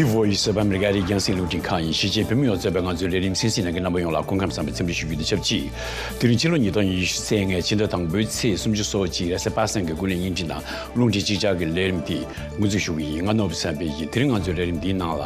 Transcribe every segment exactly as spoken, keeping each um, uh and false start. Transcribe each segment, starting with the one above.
Voice of America རིགས་རྒྱང་སྲིང་རླུང་འཕྲིན་ཁང་ཡིན། གཞིས་བྱེས་བོད་མི་ཡོངས་གཙོས་པའི་ང་ཚོའི་ལས་རིམ་གསན་གཟིགས་གནང་མཁན་རྣམ་པ་ཡོངས་ལ་སྐུ་ཁམས་བཟང་པའི་འཚམས་འདྲི་ཞུ་རྒྱུ་དང་ཆབས་ཅིག་དེ་རིང་ཕྱི་ལོ་ཉིས་སྟོང་ཉི་ཤུ་རྩ་ལྔའི་ཕྱི་ཟླ་དང་པོའི་ཚེས་སུམ་ཅུ་སོ་གཅིག་རེས་གཟའ་པ་སངས་ཀྱི་དགུན་ལས་བརྙན་འཕྲིན་དང་རླུང་འཕྲིན་གཅིག་ཆར་གྱི་ལས་རིམ་འདི་འགོ་འཛུགས་ཞུ་གི་ཡིན། ང་ནོར་བུ་བསམ་འཕེལ་ཡིན། དེ་རིང་ང་ཚོའི་ལས་རིམ་འདིའི་ནང་ལ།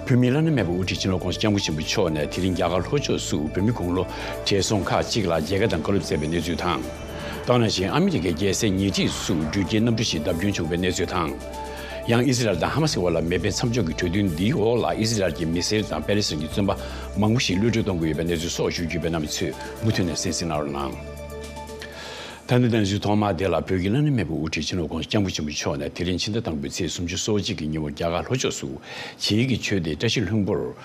བོད་མིའི་བླ་ན་མེད་པའི་དབུ་ཁྲིད་སྤྱི་ནོར་༸གོང་ས་༸སྐྱབས་མགོན་ཆེན་པོ་མཆོག་ནས་དེ་རིང་རྒྱ་གར་ལྷོ་ཕྱོགས་སུ་བོད་མི་དགུང་ལོ་བགྲེས་སོང་ཁག་ཅིག་ལ་མཇལ་ཁ་དང་བཀའ་སློབ་སྩལ་བའི་གནས་ཚུལ་དང་། ད་ག་ནང་བཞིན་ཨ་མི་རི་ཀའི་རྒྱལ་སའི་ཉེ་འཁྲིས་སུ་འགྲུལ་སྐྱེལ་གནམ་གྲུ་ཞིག་བརྡབ་སྐྱོན་བྱུང་བའི་གནས་ཚུལ་དང་། ཡང་ཨི་སི་རལ་དང་ཧ་མ་སི་དབར་ལ་མེ་འཕེན་མཚམས་འཇོག་གི་གྲོས་མཐུན་འདིའི་འོག་ལ་ཨི་སི་རལ་གྱི་མི་སེར་དང་པེ་ལེ་སི་ཐན་གྱི་བཙོན་པ་མང་པོ་ཞིག་གློད་གྲོལ་གཏོང་གི་ཡོད་པའི་གནས་ཚུལ་སོགས་ཞུ་རྒྱུ་ཡོད་པས་རྣམ་པ་ཚོས་མུ་མཐུད་ནས་གསན་གཟིགས་གནང་རོགས་གནང་། ད་ནི་གནས་ཚུལ་ཐོག་མ་དེ་ལ། བོད་ཀྱི་བླ་ན་མེད་པའི་དབུ་ཁྲིད་སྤྱི་ནོར་༸གོང་ས་༸སྐྱབས་མགོན་ཆེན་པོ་མཆོག་ནས་དེ་རིང་ཕྱི་ཟླ་དང་པོའི་ཚེས་སུམ་ཅུ་སོ་གཅིག་གི་ཉིན་མོ་རྒྱ་གར་ལྷོ་ཕྱོགས་སུ་བྱེས་ཀྱི་ཆོས་སྡེ་བཀྲ་ཤིས་ལྷུན་པོར་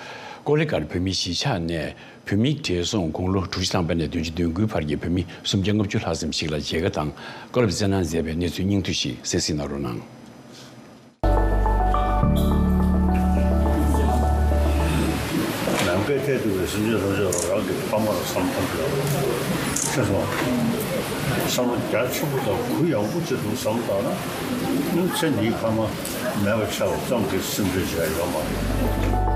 ཀོ་ལི་གྷལ་བོད་མིའི་གཞིས་ཆགས་ནས་བོད་མི་བགྲེས་སོང་དགུང་ལོ་དྲུག་ཅུ་ཐམ་པ་ནས་བདུན་ཅུ་དོན་དགུའི་བར་གྱི་བོད་མི་སུམ་བརྒྱ་ལྔ་བཅུ་ལྷག་ཙམ་ཞིག་ལ་མཇལ་ཁ་དང་བཀའ་སློབ་སྩལ་གནང་མཛད་པའི་གནས་ཚུལ་སྙིང་བསྡུས་ཤིག་གསན་གཟིགས་གནང་རོགས་གནང་། ནམ་མཁའི་མཐས་གཏུགས་པའི་སེམས་ཅན་ཐམས་ཅད་ལ་རང་གི་ཕ་མ་ལ་བསམ་བློ་གཏོང་དགོས། ཤེས་སོང་། བསམ་བློ་རྒྱ་ཆེན་པོ་དང་གུ་ཡངས་པོ་ཅིག་འདུག་བསམ་བློ་བཏང་ན། ཚེ་འདིའི་ཕ་མ་མེད་པ་ཆགས་པ་ཙམ་གྱིས་སེམས་ཁྲལ་བྱས་ཡོད་མ་རེད།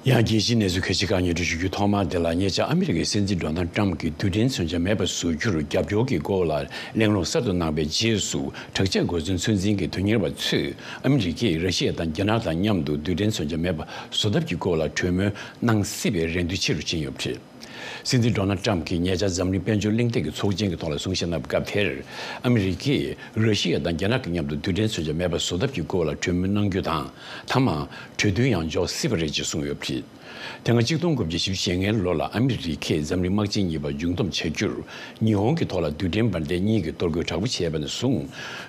ཡང་རྒྱལ་སྤྱིའི་གནས་ཚུལ་ཁ་ཤས་ཁག་སྙན་སྒྲོན་ཞུ་རྒྱུའི་ཐོག་མ་དེ་ལ། ཉེ་ཆར་ཨ་མི་རི་ཀའི་སྲིད་འཛིན་ཌོ་ནལ་ཊམ་གྱིས་རྡུལ་ཕྲན་མཚོན་ཆ་མེད་པ་བཟོ་རྒྱུར་རྒྱབ་སྐྱོར་གྱི་སྐོར་ལ་གླེང་སློང་གསར་དུ་གནང་བའི་རྗེས་སུ། དྲག་ཆས་གོ་མཚོན་ཚོད་འཛིན་གྱི་དོན་གཉེར་བ་ཚོས་ཨ་མི་རི་ཀས་ར་ཤི་ཡ་དང་རྒྱ་ནག་དང་མཉམ་དུ་རྡུལ་ཕྲན་མཚོན་ཆ་མེད་པ་བཟོ་ཐབས་ཀྱི་སྐོར་ལ་གྲོས་མོལ་གནང་སྲིད་པའི་རེ་འདུན་ཆེ་རུ་ཕྱིན་ཡོད་པ་རེད། སྲིད་འཛིན་ཌོ་ནལ་ཊམ་གྱིས་ཉེ་ཆར་འཛམ་གླིང་དཔལ་འབྱོར་གླེང་སྟེགས་ཀྱི་ཚོགས་ཆེན་གྱི་ཐོག་ལ་གསུང་བཤད་གནང་བའི་སྐབས་དེར། ཨ་མི་རི་ཀས་ར་ཤི་ཡ་དང་རྒྱ་ནག་གི་མཉམ་དུ་རྡུལ་ཕྲན་མཚོན་ཆ་མེད་པ་བཟོ་ཐབས་ཀྱི་སྐོར་ལ་གྲོས་མོལ་གནང་རྒྱུ་དང་། མཐའ་མར་གྲོས་མཐུན་ཡང་འཇོག་སྲིད་པ་རེད་ཅེས་གསུངས་ཡོད་པ་རེད། དེ་སྔ་གཅིག་སྟོང་དགུ་བརྒྱ་བཞི་བཅུ་ཞེ་ལྔའི་ལོ་ལ་ཨ་མི་རི་ཀས་འཛམ་གླིང་དམག་ཆེན་གཉིས་པ་མཇུག་བསྡོམས་བྱ་རྒྱུར། ཉི་ཧོང་གི་ཐོག་ལ་རྡུལ་ཕྲན་འབར་མདེལ་གཉིས་ཀྱི་གཏོར་རྒོལ་དྲག་པོ་བྱས་པ་ནས་བཟུང་།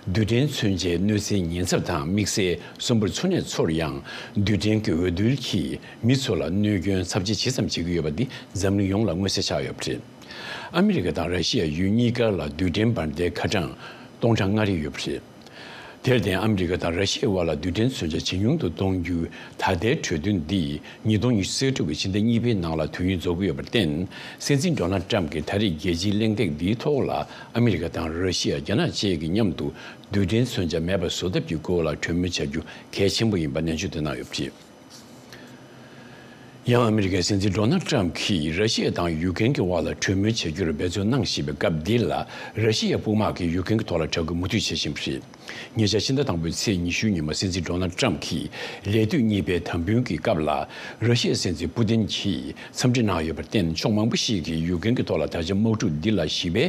རྡུལ་ཕྲན་མཚོན་ཆའི་གནོད་འཚེའི་ཉེན་ཚབས་དང་དམིགས་བསལ་གསོན་པོར་འཚོ་གནས་ཚོར་ཡང་། རྡུལ་ཕྲན་གྱི་འོས་རྡུལ་གྱིས་མི་ཚོ་ལ་གནོད་སྐྱོན་ཚབས་ཆེ་ཇི་ཙམ་བྱེད་ཀྱི་ཡོད་པ་འདི་འཛམ་གླིང་ཡོངས་ལ་མངོན་གསལ་ཆགས་ཡོད་པ་རེད། ཨ་མི་རི་ཀ་དང་ར་ཤི་ཡ་ཡུལ་གཉིས་ཀ་ལ་རྡུལ་ཕྲན་འབར་མདེལ་ཁ་གྲངས་སྟོང་ཕྲག་ལྔ་རེ་ཡོད་པ་རེད། དེར་བརྟེན་ཨ་མི་རི་ཀ་དང་ར་ཤི་ཡའི་དབར་ལ་རྡུལ་ཕྲན་མཚོན་ཆ་ཇེ་ཉུང་དུ་གཏོང་རྒྱུའི་ད་ལྟའི་གྲོས་མཐུན་འདི་ཉིས་སྟོང་ཉི་ཤུ་རྩ་དྲུག་གི་ཕྱི་ཟླ་གཉིས་པའི་ནང་ལ་དུས་ཡུན་རྫོགས་ཀྱི་ཡོད་པར་བརྟེན། སྲིད་འཛིན་ཌོ་ནལ་ཊམ་གྱིས་ད་རེས་རྒྱལ་སྤྱིའི་གླེང་སྟེགས་འདིའི་ཐོག་ལ་ཨ་མི་རི་ཀ་དང་ར་ཤི་ཡ། རྒྱ་ནག་བཅས་ཀྱི་མཉམ་དུ་རྡུལ་ཕྲན་མཚོན་ཆ་མེད་པ་བཟོ་ཐབས་ཀྱི་སྐོར་ལ་གྲོས་མོལ་བྱ་རྒྱུ་གལ་ཆེན་པོ་ཡིན་པ་ནན་བརྗོད་དུ་གནང་ཡོད་པ་རེད། ཡང་ཨ་མི་རི་ཀའི་སྲིད་འཛིན་ཌོ་ནལ་ཊམ་གྱིས་ར་ཤི་ཡ་དང་ཡུཀ་རེན་གྱི་དབར་ལ་གྲོས་མོལ་བྱ་རྒྱུར་འབད་བརྩོན་གནང་བཞིན་པའི་སྐབས་འདི་ལ། ར་ཤི་ཡའི་དཔུང་དམག་གིས་ཡུཀ་རེན་གྱི་ཐོག་ལ་དྲག་རྒོལ་མུ་མཐུད་བྱེད་བཞིན་པ་རེད། ཉེ་ཆར་ཕྱི་ཟླ་དང་པོའི་ཚེས་ཉི་ཤུའི་ཉིན་མོ་སྲིད་འཛིན་ཌོ་ནལ་ཊམ་གྱིས་ལས་དུས་གཉིས་པའི་དམ་འབུལ་གྱི་སྐབས་ལ། ར་ཤི་ཡའི་སྲིད་འཛིན་པུ་ཏིན་གྱིས་འཚམས་འདྲི་གནང་ཡོད་པར་བརྟེན། ཕྱོགས་མང་པོ་ཞིག་གིས་ཡུཀ་རེན་གྱི་ཐོག་ལ་ད་ཆ་དམག་འཁྲུག་འདི་ལ་ཞི་བའི་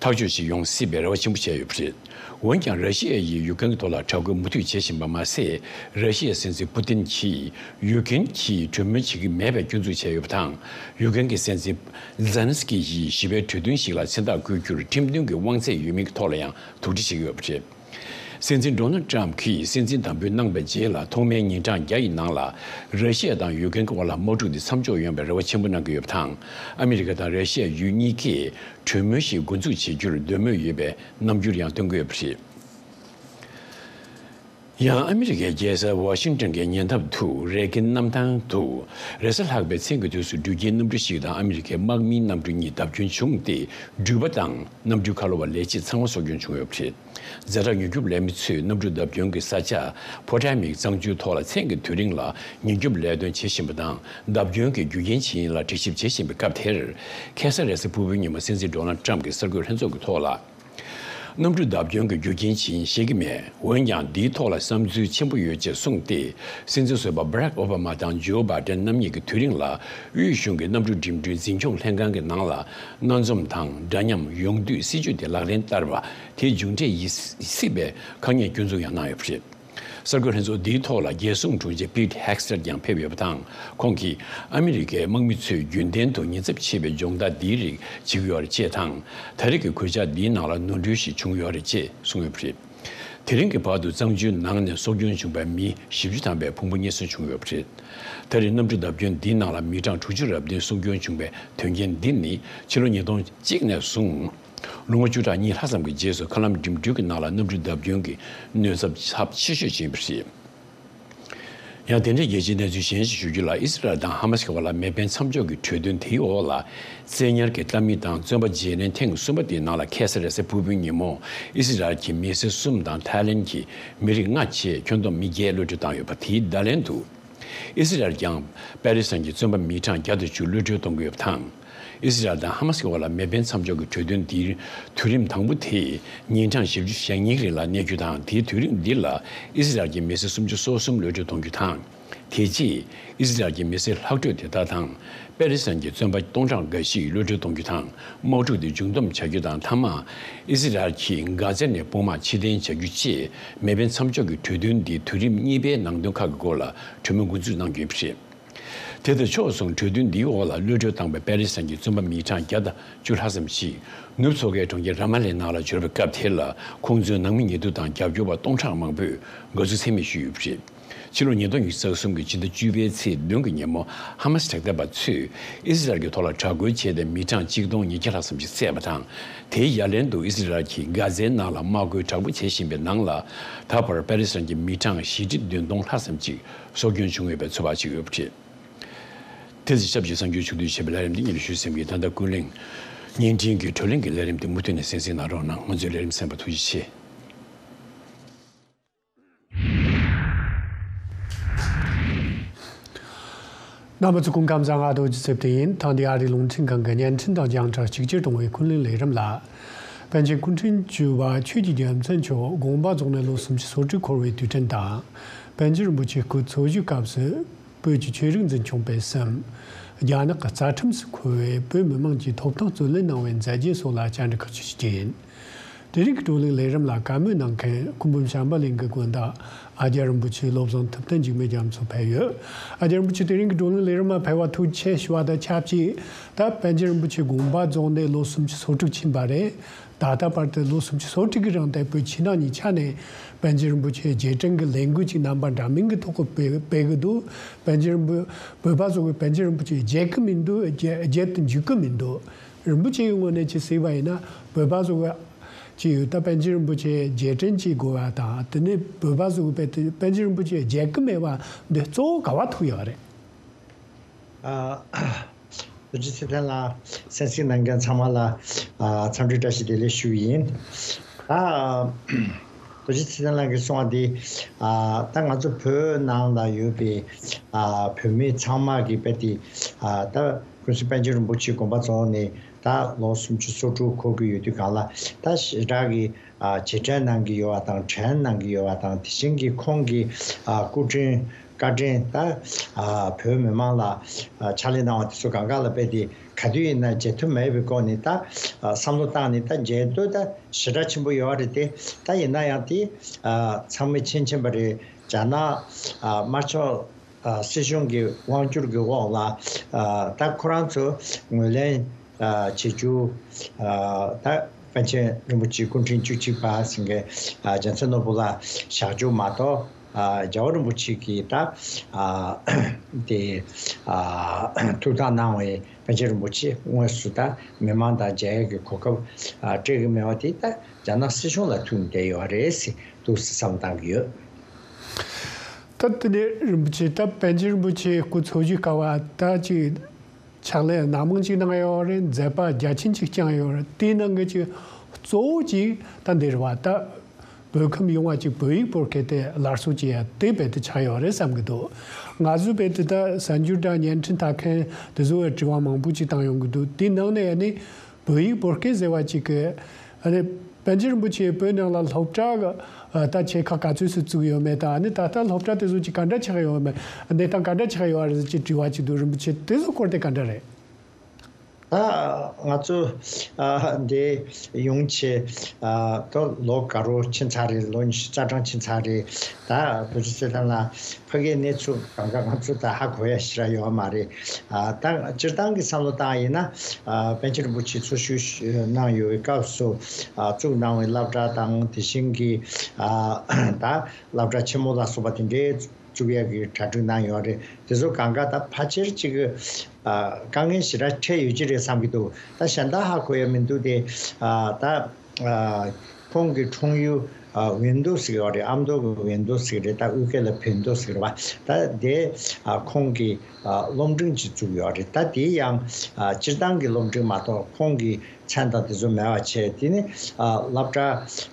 ཐག་གཅོད་ཅིག་ཡོང་སྲིད་པའི་རེ་བ་ཆེན་པོ་བྱས་ཡོད་པ་རེད། འོན་ཀྱང་། ར་ཤི་ཡ་ཡིས་ཡུཀ་རེན་གྱི་ཐོག་ལ་དྲག་རྒོལ་མུ་མཐུད་བྱེད་བཞིན་པ་མ་ཟད། ར་ཤི་ཡའི་སྲིད་འཛིན་པུ་ཏིན་གྱིས་ཡུཀ་རེན་གྱིས་གྲོས་མོལ་བྱེད་ཀྱི་མེད་པའི་སྐྱོན་འཛུགས་བྱས་ཡོད་པ་དང་། ཡུཀ་རེན་གྱི་སྲིད་འཛིན་ཛེ་ལན་སི་ཀི་ཡིས་ཞི་བའི་གྲོས་མཐུན་ཞིག་ལ་མཚན་རྟགས་བཀོད་རྒྱུར་ཁྲིམས་མཐུན་གྱི་དབང་ཚད་ཡོད་མིན་གྱི་ཐོག་ལ་ཡང་དོགས་འདྲི་བྱེད་ཀྱི་ཡོད་པ་རེད། སྲིད་འཛིན་ཌོ་ནལ་ཊམ་གྱིས་སྲིད་འཛིན་དམ་འབུལ་གནང་བའི་རྗེས་ལ། ཐོག་མའི་ཉིན་གྲངས་བརྒྱ་ཡི་ནང་ལ། ར་ཤི་ཡ་དང་ཡུཀ་རེན་གྱི་དབར་ལ་དམག་འཁྲུག་འདི་མཚམས་འཇོག་ཡོང་བའི་རེ་བ་ཆེན་པོ་གནང་གི་ཡོད་པ་དང་། ཨ་མི་རི་ཀ་དང་ར་ཤི་ཡ་ཡུལ་གཉིས་ཀས་གྲོས་མོལ་ཞིག་འགོ་འཛུགས་བྱེད་རྒྱུར་འདོད་མོས་ཡོད་པའི་རྣམ་འགྱུར་ཡང་སྟོན་གྱི་ཡོད་པ་རེད། ཡང་ཨ་མི་རི་ཀའི་རྒྱལ་ས་ཝ་ཤིང་ཏོན་གྱི་ཉེ་འདབས་དུ། རེ་གིན་གནམ་ཐང་དུ། རེས་གཟའ་ལྷག་པའི་མཚན་གྱི་དུས་སུ་འགྲུལ་སྐྱེལ་གནམ་གྲུ་ཞིག་དང་ཨ་མི་རི་ཀའི་དམག་མིའི་གནམ་གྲུ་གཉིས་བརྡབ་སྐྱོན་བྱུང་སྟེ། འགྲུལ་པ་དང་གནམ་གྲུའི་ཁ་ལོ་བ་ལས་བྱེད་ཚང་མ་སྲོག་སྐྱོན་བྱུང་ཡོད་པ་རེད། ཛ་དྲག་མྱུར་སྐྱོབ་ལས་མི་ཚོས་གནམ་གྲུ་བརྡབ་སྐྱོན་གྱི་ས་ཆ་ཕོ་ཊ་མིག་གཙང་ཆུའི་ཐོག་ལ་མཚན་གྱི་དུས་རིང་ལ་མྱུར་སྐྱོབ་ལས་དོན་བྱེད་བཞིན་པ་དང་། བརྡབ་སྐྱོན་གྱི་རྒྱུ་རྐྱེན་ཇི་ཡིན་ལ་དྲི་ཞིབ་བྱེད་བཞིན་པའི་སྐབས་དེར། ཁ་སང་རེས་གཟའ་ཕུར་བུའི་ཉིན་མོ་སྲིད་འཛིན་ཌོ་ནལ་ཊམ་གྱིས་གསར་འགོད་ལྷན་ཚོགས་ཀྱི་ཐོག་ལ། གནམ་གྲུ་བརྡབ་སྐྱོན་གྱི་རྒྱུ་རྐྱེན་ཇི་ཡིན་ཤེས་ཀྱི་མེད། འོན་ཀྱང་། འདིའི་ཐོག་ལ་བསམ་ཚུལ་ཆེན་པོ་ཡོད་ཅེས་གསུངས་ཏེ། སྲིད་འཛིན་ཟུར་པ་བྷ་རག་ཨོ་བྷ་མ་དང་ཇོ་བྷའི་ཏན་རྣམ་གཉིས་ཀྱི་དུས་རིང་ལ། དབུས་གཞུང་གི་གནམ་གྲུ་འགྲིམ་འགྲུལ་འཛིན་སྐྱོང་ལྷན་ཁང་གི་ནང་ལ། སྣ་འཛོམས་དང་འདྲ་མཉམ་ཡོང་དུས་སྲིད་ཇུས་དེ་ལག་ལེན་བསྟར་བ་དེ་མཇུག་འབྲས་ཡིན་སྲིད་པའི་དཀའ་ངལ་སྐྱོན་འཛུགས་ཡང་གནང་ཡོད་པ་རེད། གསར་འགོད་ལྷན་ཚོགས་འདིའི་ཐོག་ལ་རྒྱལ་སྲུང་དྲུང་ཆེ་པིད་ཧེག་སི་ཊར་ཀྱང་ཕེབས་ཡོད་པ་དང་། ཁོང་གིས་ཨ་མི་རི་ཀའི་དམག་མི་ཚོས་རྒྱུན་ལྡན་དུ་ཉེན་ཚབས་ཆེ་བའི་སྦྱོང་བརྡར་འདིའི་རིགས་བྱེད་ཀྱི་ཡོད་རེད་ཅེས་དང་། ད་རེས་ཀྱི་གོད་ཆག་འདིའི་ནང་ལ་ནོར་འཁྲུལ་ཞིག་བྱུང་ཡོད་རེད་ཅེས་གསུངས་ཡོད་པ་རེད། དེ་རིང་གི་བར་དུ་གཙང་ཆུའི་ནང་ནས་སྲོག་སྐྱོན་བྱུང་བའི་མི་བཞི་བཅུ་ཐམ་པའི་ཕུང་པོ་རྙེད་སོན་བྱུང་ཡོད་པ་རེད། ད་རེས་གནམ་གྲུ་བརྡབ་སྐྱོན་འདིའི་ནང་ལ་མི་གྲངས་དྲུག་ཅུ་རེ་བདུན་སྲོག་སྐྱོན་བྱུང་བའི་དོན་རྐྱེན་འདི་ནི་ཕྱི་ལོ་ཉིས་སྟོང་གཅིག་ནས་བཟུང་། ལོ་ངོ་བཅུ་ཕྲག་གཉིས་ལྷག་ཙམ་གྱི་རྗེས་སུ་མཁའ་ལམ་འགྲིམ་འགྲུལ་གྱི་ནང་ལ་གནམ་གྲུ་བརྡབ་སྐྱོན་གྱི་གནོད་ཚབས་ཚབས་ཆེ་ཤོས་ཤིག་ཡིན་པ་རེད། ཡང་། དེ་འདྲའི་རྒྱལ་སྤྱིའི་གནས་ཚུལ་གཞན་ཞིག་ཞུ་རྒྱུ་ལ། ཨི་སི་རལ་དང་ཧ་མ་སི་ཀྱི་བར་ལ་མེ་འཕེན་མཚམས་འཇོག་གི་གྲོས་མཐུན་དེའི་འོག་ལ། བཙན་ཉར་གྱི་གཏམ་མི་དང་བཙོན་པ་བརྗེ་ལེན་ཐེངས་གསུམ་པ་དེའི་ནང་ལ་ཁ་སང་རེས་གཟའ་ཕུར་བུའི་ཉིན་མོ། ཨི་སི་རལ་གྱི་མི་སེར་གསུམ་དང་ཐའི་ལེན་གྱི་མི་རིགས་ལྔ་བཅས་ཁྱོན་བསྡོམས་མི་བརྒྱད་གློད་གྲོལ་བཏང་ཡོད་པ་དེའི་བརྡ་ལན་དུ། ཨི་སི་རལ་ཀྱང་པེ་ལི་སི་ཐན་གྱི་བཙོན་པ་མི་གྲངས་བརྒྱ་དང་བཅུ་གློད་གྲོལ་གཏོང་གི་ཡོད་པ་དང་། ཨི་སི་རལ་དང་ཧ་མ་སི་ཀྱི་བར་ལ་མེ་འཕེན་མཚམས་འཇོག་གི་གྲོས་མཐུན་འདིའི་དུས་རིམ་དང་པོ་དེ་ཉིན་གྲངས་བཞི་བཅུ་ཞེ་གཉིས་རིང་ལ་གནས་རྒྱུ་དང་། དེའི་དུས་རིམ་འདི་ལ་ཨི་སི་རལ་གྱི་མི་སེར་སུམ་ཅུ་སོ་གསུམ་གློད་གྲོལ་གཏོང་རྒྱུ་དང་། དེ་རྗེས་ཨི་སི་རལ་གྱི་མི་སེར་ལྷག་འཕྲོས་དེ་དག་དང་། པེ་ལི་སི་ཐན་གྱི་བཙོན་པ་སྟོང་ཕྲག་འགའ་ཞིག་གློད་གྲོལ་གཏོང་རྒྱུ་དང་། དམག་འཁྲུག་དེ་མཇུག་བསྡོམས་བྱ་རྒྱུ་དང་། མཐའ་མ་ཨི་སི་རལ་གྱིས་གྷ་ཛ་ནས་དཔུང་དམག་ཕྱིར་འཐེན་བྱ་རྒྱུ་བཅས་མེ་འཕེན་མཚམས་འཇོག་གི་གྲོས་མཐུན་འདིའི་དུས་རིམ་གཉིས་པའི་ནང་དོན་ཁག་གི་སྐོར་ལ་གྲོས་མོལ་འགོ་འཛུགས་གནང་རྒྱུ་ཡིན་པ་རེད། དེ་དང་ཕྱོགས་མཚུངས་གྲོས་མཐུན་འདིའི་འོག་ལ་གློད་གྲོལ་བཏང་པའི་པེ་ལི་སི་ཐན་གྱི་བཙོན་པ་མི་གྲངས་བརྒྱ་དང་བཅུ་ལྷག་ཙམ་ཞིག་ནུབ་མཚོ་ཁའི་གྲོང་ཁྱེར་ར་མ་ལའི་ནང་ལ་འབྱོར་བའི་སྐབས་དེ་ལ། ཁོང་ཚོའི་ནང་མི་ཉེ་དུ་དང་རྒྱབ་སྐྱོར་བ་སྟོང་ཕྲག་མང་པོས་དགའ་བསུ་ཚད་མེད་ཞུས་ཡོད་པ་རེད། ཕྱི་ལོ་ཉིས་སྟོང་ཉི་ཤུ་རྩ་གསུམ་གྱི་ཕྱི་ཟླ་བཅུ་པའི་ཚེས་བདུན་གྱི་ཉིན་མོ། ཧ་མ་སི་དྲག་འཐབ་པ་ཚོས་ཨི་སི་རལ་གྱི་ཐོག་ལ་དྲག་རྒོལ་བྱས་ཏེ། མི་གྲངས་གཅིག་སྟོང་ཉིས་བརྒྱ་ལྷག་ཙམ་ཞིག་བསད་པ་དང་། དེའི་ཡ་ལན་དུ་ཨི་སི་རལ་གྱིས་གྷ་ཛའི་ནང་ལ་དམག་རྒོལ་དྲག་པོ་བྱེད་བཞིན་པའི་ནང་ལ། ད་བར་པེ་ལི་སི་ཐན་གྱི་མི་གྲངས་བཞི་ཁྲི་བདུན་སྟོང་ལྷག་ཙམ་ཞིག་སྲོག་སྐྱོན་བྱུང་ཡོད་པའི་ཚོད་དཔག་བྱེད་ཀྱི་ཡོད་པ་རེད། དེ་ཚེ་ཞབས་ཀྱི་གསར་འགྱུར་ཕྱོགས་བསྡུས་བྱས་པའི་ལས་རིམ་འདི་ཉིན་ལ་ཞུས་ཟིན་གྱི། ད་ལྟ་ཀུན་གླེང་བརྙན་འཕྲིན་གྱི་བགྲོ་གླེང་གི་ལས་རིམ་འདི་མུ་མཐུད་ནས་གསན་གཟིགས་གནང་རོགས་གནང་། ང་ཚོའི་ལས་རིམ་གསན་པར་ཐུགས་རྗེ་ཆེ། རྣམ་པ་ཚོ་སྐུ་ཁམས་བཟང་། ང་རྡོ་རྗེ་ཚེ་བརྟན་ཡིན། ཐེངས་འདིའི་ཨ་རིའི་རླུང་འཕྲིན་ཁང་གི་བརྙན་འཕྲིན་དང་རྒྱང་བསྒྲགས་གཅིག་གྱུར་གཏོང་བའི་ཀུན་གླེང་ལས་རིམ་ལ། པཎ་ཆེན་སྐུ་ཕྲེང་བཅུ་པ་ཆོས་ཀྱི་རྒྱལ་མཚན་མཆོག་དགོངས་པ་རྫོགས་ནས་ལོ་སུམ་ཅུ་སོ་དྲུག་འཁོར་བའི་དུས་དྲན་དང་། པཎ་ཆེན་རིན་པོ་ཆེའི་སྐུ་འཚོ་བཞུགས་སྐབས་སུ། བོད་ཀྱི་ཆོས་རིག་འཛིན་སྐྱོང་སྤེལ་གསུམ། རྒྱ་ནག་གི་རྩ་ཁྲིམས་སུ་འཁོད་པའི་བོད་མི་མང་གི་ཐོབ་ཐང་རྩོད་ལེན་གནང་བའི་མཛད་རྗེས་སོགས་ལ་བཅར་འདྲི་ཁག་ཅིག་བྱེད་རྒྱུ་ཡིན། དེ་རིང་གི་བགྲོ་གླེང་ལས་རིམ་ལ་བཀའ་མོལ་གནང་མཁན་སྐུ་འབུམ་བྱམས་པ་གླིང་གི་དགོན་བདག་ཨ་ཀྱཱ་རིན་པོ་ཆེ་བློ་བཟང་ཐུབ་བསྟན་འཇིགས་མེད་རྒྱ་མཚོ་ཕེབས་ཡོད། ཨ་ཀྱཱ་རིན་པོ་ཆེ་དེ་རིང་གི་བགྲོ་གླེང་ལས་རིམ་ལ་ཕེབས་པར་ཐུགས་རྗེ་ཆེ་ཞུ་བ་དང་ཆབས་ཅིག་ད་པཎ་ཆེན་རིན་པོ་ཆེ་དགོངས་པ་རྫོགས་ནས་ལོ་སུམ་ཅུ་སོ་དྲུག་ཕྱིན་པ་རེད། ད་ལྟ་བར་དུ་ལོ་སུམ་ཅུ་སོ་དྲུག་གི་རིང་དེ་བོད་ཕྱི་ནང་གཉིས་ཆ་ནས་པཎ་ཆེན་རིན་པོ་ཆེའི་རྗེས་དྲན་གྱི་ལས་འགུལ་ཅིག་རྣམ་པ་འདྲ་མིན་གྱི་ཐོག་གི་སྤེལ་སྤེལ་གྱི་འདུག་པཎ་ཆེན་རིན་པོ་བོད་པ་ཚོ་གིས་པཎ་ཆེན་རིན་པོ་ཆེ་བརྗེད་ཀྱི་མི་འདུག་བརྗེད་བརྗེད་དུ་འཇུག་གི་མི་འདུག་རིན་པོ་ཆེའི་ངོས་ནས་ཅིག་གཟིགས་པ་ཡིན་ན། བོད་པ་ཚོ་གི་ཅིག་ཡོད། ད་པཎ་ཆེན་རིན་པོ་ཆེའི་རྗེས་དྲན་ཅིག་དགོས་པ་དང་། དེ་ནས་བོད་པ་ཚོ་གིས་དཔེ་དེ་པཎ་ཆེན་རིན་པོ་ཆེ་བརྗེད་ཀྱི་མེད་པ་འདི་གཙོ་བོ་ག་པར་ཐུག་ཡོད་རེད། ཨ། རྡོ་རྗེ་ཚེ་བརྟན་ལགས། གསན་གཟིགས་གནང་མཁན་ཚང་མ་ལ། ཨ། འཚམས་འདྲི་བཀྲ་ཤིས་བདེ་ལེགས་ཞུ་གི་ཡིན། ཨ། རྡོ་རྗེ་ཚེ་བརྟན་ལགས་ཀྱིས་གསུངས་པ་འདི། ཨ། ད་ང་ཚོ་བོད་ནང་ལ་ཡོད་པའི། ཨ། བོད་མི་ཚང་མ་གིས་དཔེ་དེ། ཨ། ད་ཀུན་གཟིགས་པཎ་ཆེན་རིན་པོ་ཆེ་དགོངས་པ་རྫོགས་ནས་ད་ལོ་སུམ་ཅུ་སོ་དྲུག་འཁོར་གྱི་ཡོད་དུས་སྒང་ལ། ད་ཞེ་དྲག་གི། ཨ། རྗེས་དྲན་གནང་གི་ཡོད་པ་དང་། དྲན་གནང་གི་ཡོད་པ་དང་། དེ་བཞིན་གྱི་ཁོང་གི། ཨ། སྐུ་དྲིན། བཀའ་དྲིན། ད། ཨ། བོད་མི་མང་ལ། ཨ། ཕྱག་ལས་གནང་བ་དེ་ཚོ་སྒང་ག་ལ་དཔེ་དེ་ག་དུས་ཡིན་ན་བརྗེད་ཐབས་མེད་པའི་སྒོ་ནས། ད། ཨ། བསམ་བློ་བཏང་ནས། ད་བརྗེད་འདོད་ད་ཞེ་དྲག་ཆེན་པོ་ཡོད་རེད་དེ། ད་ཡིན་ན་ཡང་དེ། ཨ། ཚང་མས་མཁྱེན་མཁྱེན་པ་རེད། རྒྱ་ནག། ཨ། དམར་ཕྱོགས། ཨ། སྲིད་གཞུང་གི་དབང་སྒྱུར་གྱི་འོག་ལ། ཨ། ད་ཁོ་རང་ཚོ་ངོས་ལེན། ཨ། བྱེད་རྒྱུ། ཨ། ད་པཎ་ཆེན་རིན་པོ་ཆེ་སྐུ་ཕྲེང་བཅུ་གཅིག་པ་ཟེར་མཁན། ཨ། རྒྱལ་མཚན་ནོར་བུ་ལ་བཞག་རྒྱུ་མ་གཏོགས། ཨ། རྒྱལ་བ་རིན་པོ་ཆེ་གིས་ད། ཨ། དེ། ཨ། ཐུགས་དམ་གནང་བའི་པཎ་ཆེན་རིན་པོ་ཆེ་དངོས་སུ་ད་མི་མང་དང་མཇལ་ཡག་གི་གོ་སྐབས། ཨ། སྤྲད་ཀྱི་མེད་པ་དེ་ད་རྒྱ་ནག་སྲིད་གཞུང་ལ་ཐུག་ནས་བསྡད་ཡོད་རེད་ཟེར། འདུག་སེ་བསམ་བཏང་གི་ཡོད། ད་དེ་ནས་རིན་པོ་ཆེ། ད་པཎ་ཆེན་རིན་པོ་ཆེའི་སྐུ་འཚོ་བཞུགས་སྐབས་ད་ཅིག་ཕྱག་ལས་སྣ་མང་ཅིག་གནང་ཡོད་རེད། མཛད་པ་རྒྱ་ཆེན་ཅིག་བསྐྱངས་ཡོད་རེད། དེའི་ནང་གི་ཅིག་གཙོ་བོ་ཅིག་ད་འདིར་བ་ད་བོད་ཁམས་ཡོངས་ལ་ཅིག་བོད་ཡིག་བོད་སྐད་དེ་སླར་གསོ་བྱེད་ཡ་དེ་རྦད་དེ་ཆགས་ཡོད་རེད་བསམ་གྱི་འདུག་ང་ཚོས་རྦད་དེ་ད་གསར་འགྱུར་དང་བརྙན་འཕྲིན་ལྟ་མཁན་དེ་ཚོ་བས་དྲི་བ་མང་པོ་ཅིག་བཏང་ཡོང་གི་འདུག་དེའི་ནང་ནས་ཨ་ནི། བོད་ཡིག་བོད་སྐད་ཟེར་བ་ཅིག་གི། ཨ་ནི། པཎ་ཆེན་རིན་པོ་ཆེས་བོད་ནང་ལ་སློབ་གྲྭ་གི། ཨ། ད་ཆེ་ཁག་ག་ཚོད་ཙམ་བཙུགས་ཡོད་མེད་དང་། ཨ་ནི་ད་ལྟ་སློབ་གྲྭ་དེ་ཚོ་ཅིག་ག་འདྲ་ཆགས་ཡོད་མེད། གནས་སྟངས་ག་འདྲ་ཆགས་ཡོད་རེད་ཅེས་དྲི་བ་ཅིག་འདུག་རིན་པོ་ཆེ། དེ་ཚོ་སྐོར་དེ་ག་འདྲ་རེད། ད་ང་ཚོ། ཨ། འདི་ཡོང་ཆེད། ཨ། ད་ལོ་ག་རོ་ཕྱིན་ཚར་རེད། ལོ་ཉི་ཤུ་རྩ་གྲངས་ཕྱིན་ཚར་རེད། ད་རྡོ་རྗེ་རྩེ་ཐང་ལ། ཕ་གིའི་གནས་ཚུལ་གང་ག་ང་ཚོ་ད་ཧ་གོ་ཡ་ཞེ་དྲག་ཡོད་མ་རེད། ཨ། ད་སྤྱིར་བཏང་གི་བསམ་བློ་བཏང་ཡིན་ན། ཨ། པཎ་ཆེན་རིན་པོ་ཆེ་འཚོ་བཞུགས་གནང་ཡོད་པའི་སྐབས་སུ། ཨ། བཙུགས་གནང་བའི་སློབ་གྲྭ་དང་། དེ་བཞིན་གྱི། ཨ། ད་སློབ་གྲྭ་ཆེན་མོ་ལ་སོགས་པ་དེ་འདྲའི་བཙུགས་ཡ་གི་གྲ་སྒྲིག་གནང་ཡོད་རེད། དེ་ཚོ་གང་ག་ད་ཕལ་ཆེར་ཅིག། ཨ། དཀའ་ངལ་ཞེ་དྲག་འཕྲད་ཡོད་ཀྱི་རེད་བསམ་གྱི་འདུག་ད་གཞན་དག་ཧ་གོ་ཡ་མི་འདུག་སྟེ། ཨ། ད། ཨ། ཁོང་གི་འཁྲུངས་ཡུལ། ཨ་ཝིན་དོ་ཟེར་གྱི་ཡོད་རེད། ཨ་མདོ་གི་ཝིན་དོ་ཟེར་གྱི་རེད། ད་དབུས་སྐད་ལ་བིན་དོ་ཟེར་གྱི་རེད་པ། ད་དེ་ཨ་ཁོང་གིས་ཨ་སློབ་འབྲིང་ཅིག་བཙུགས་ཡོད་རེད། ད་དེ་ཡང་ཨ་སྤྱིར་བཏང་གི་སློབ་འབྲིང་མ་གཏོགས་ཁོང་གི་མཚན་དང་དེ་ཚོ་མེད་པ་བྱས། དེ་ནི་ཨ་སློབ་གྲྭ་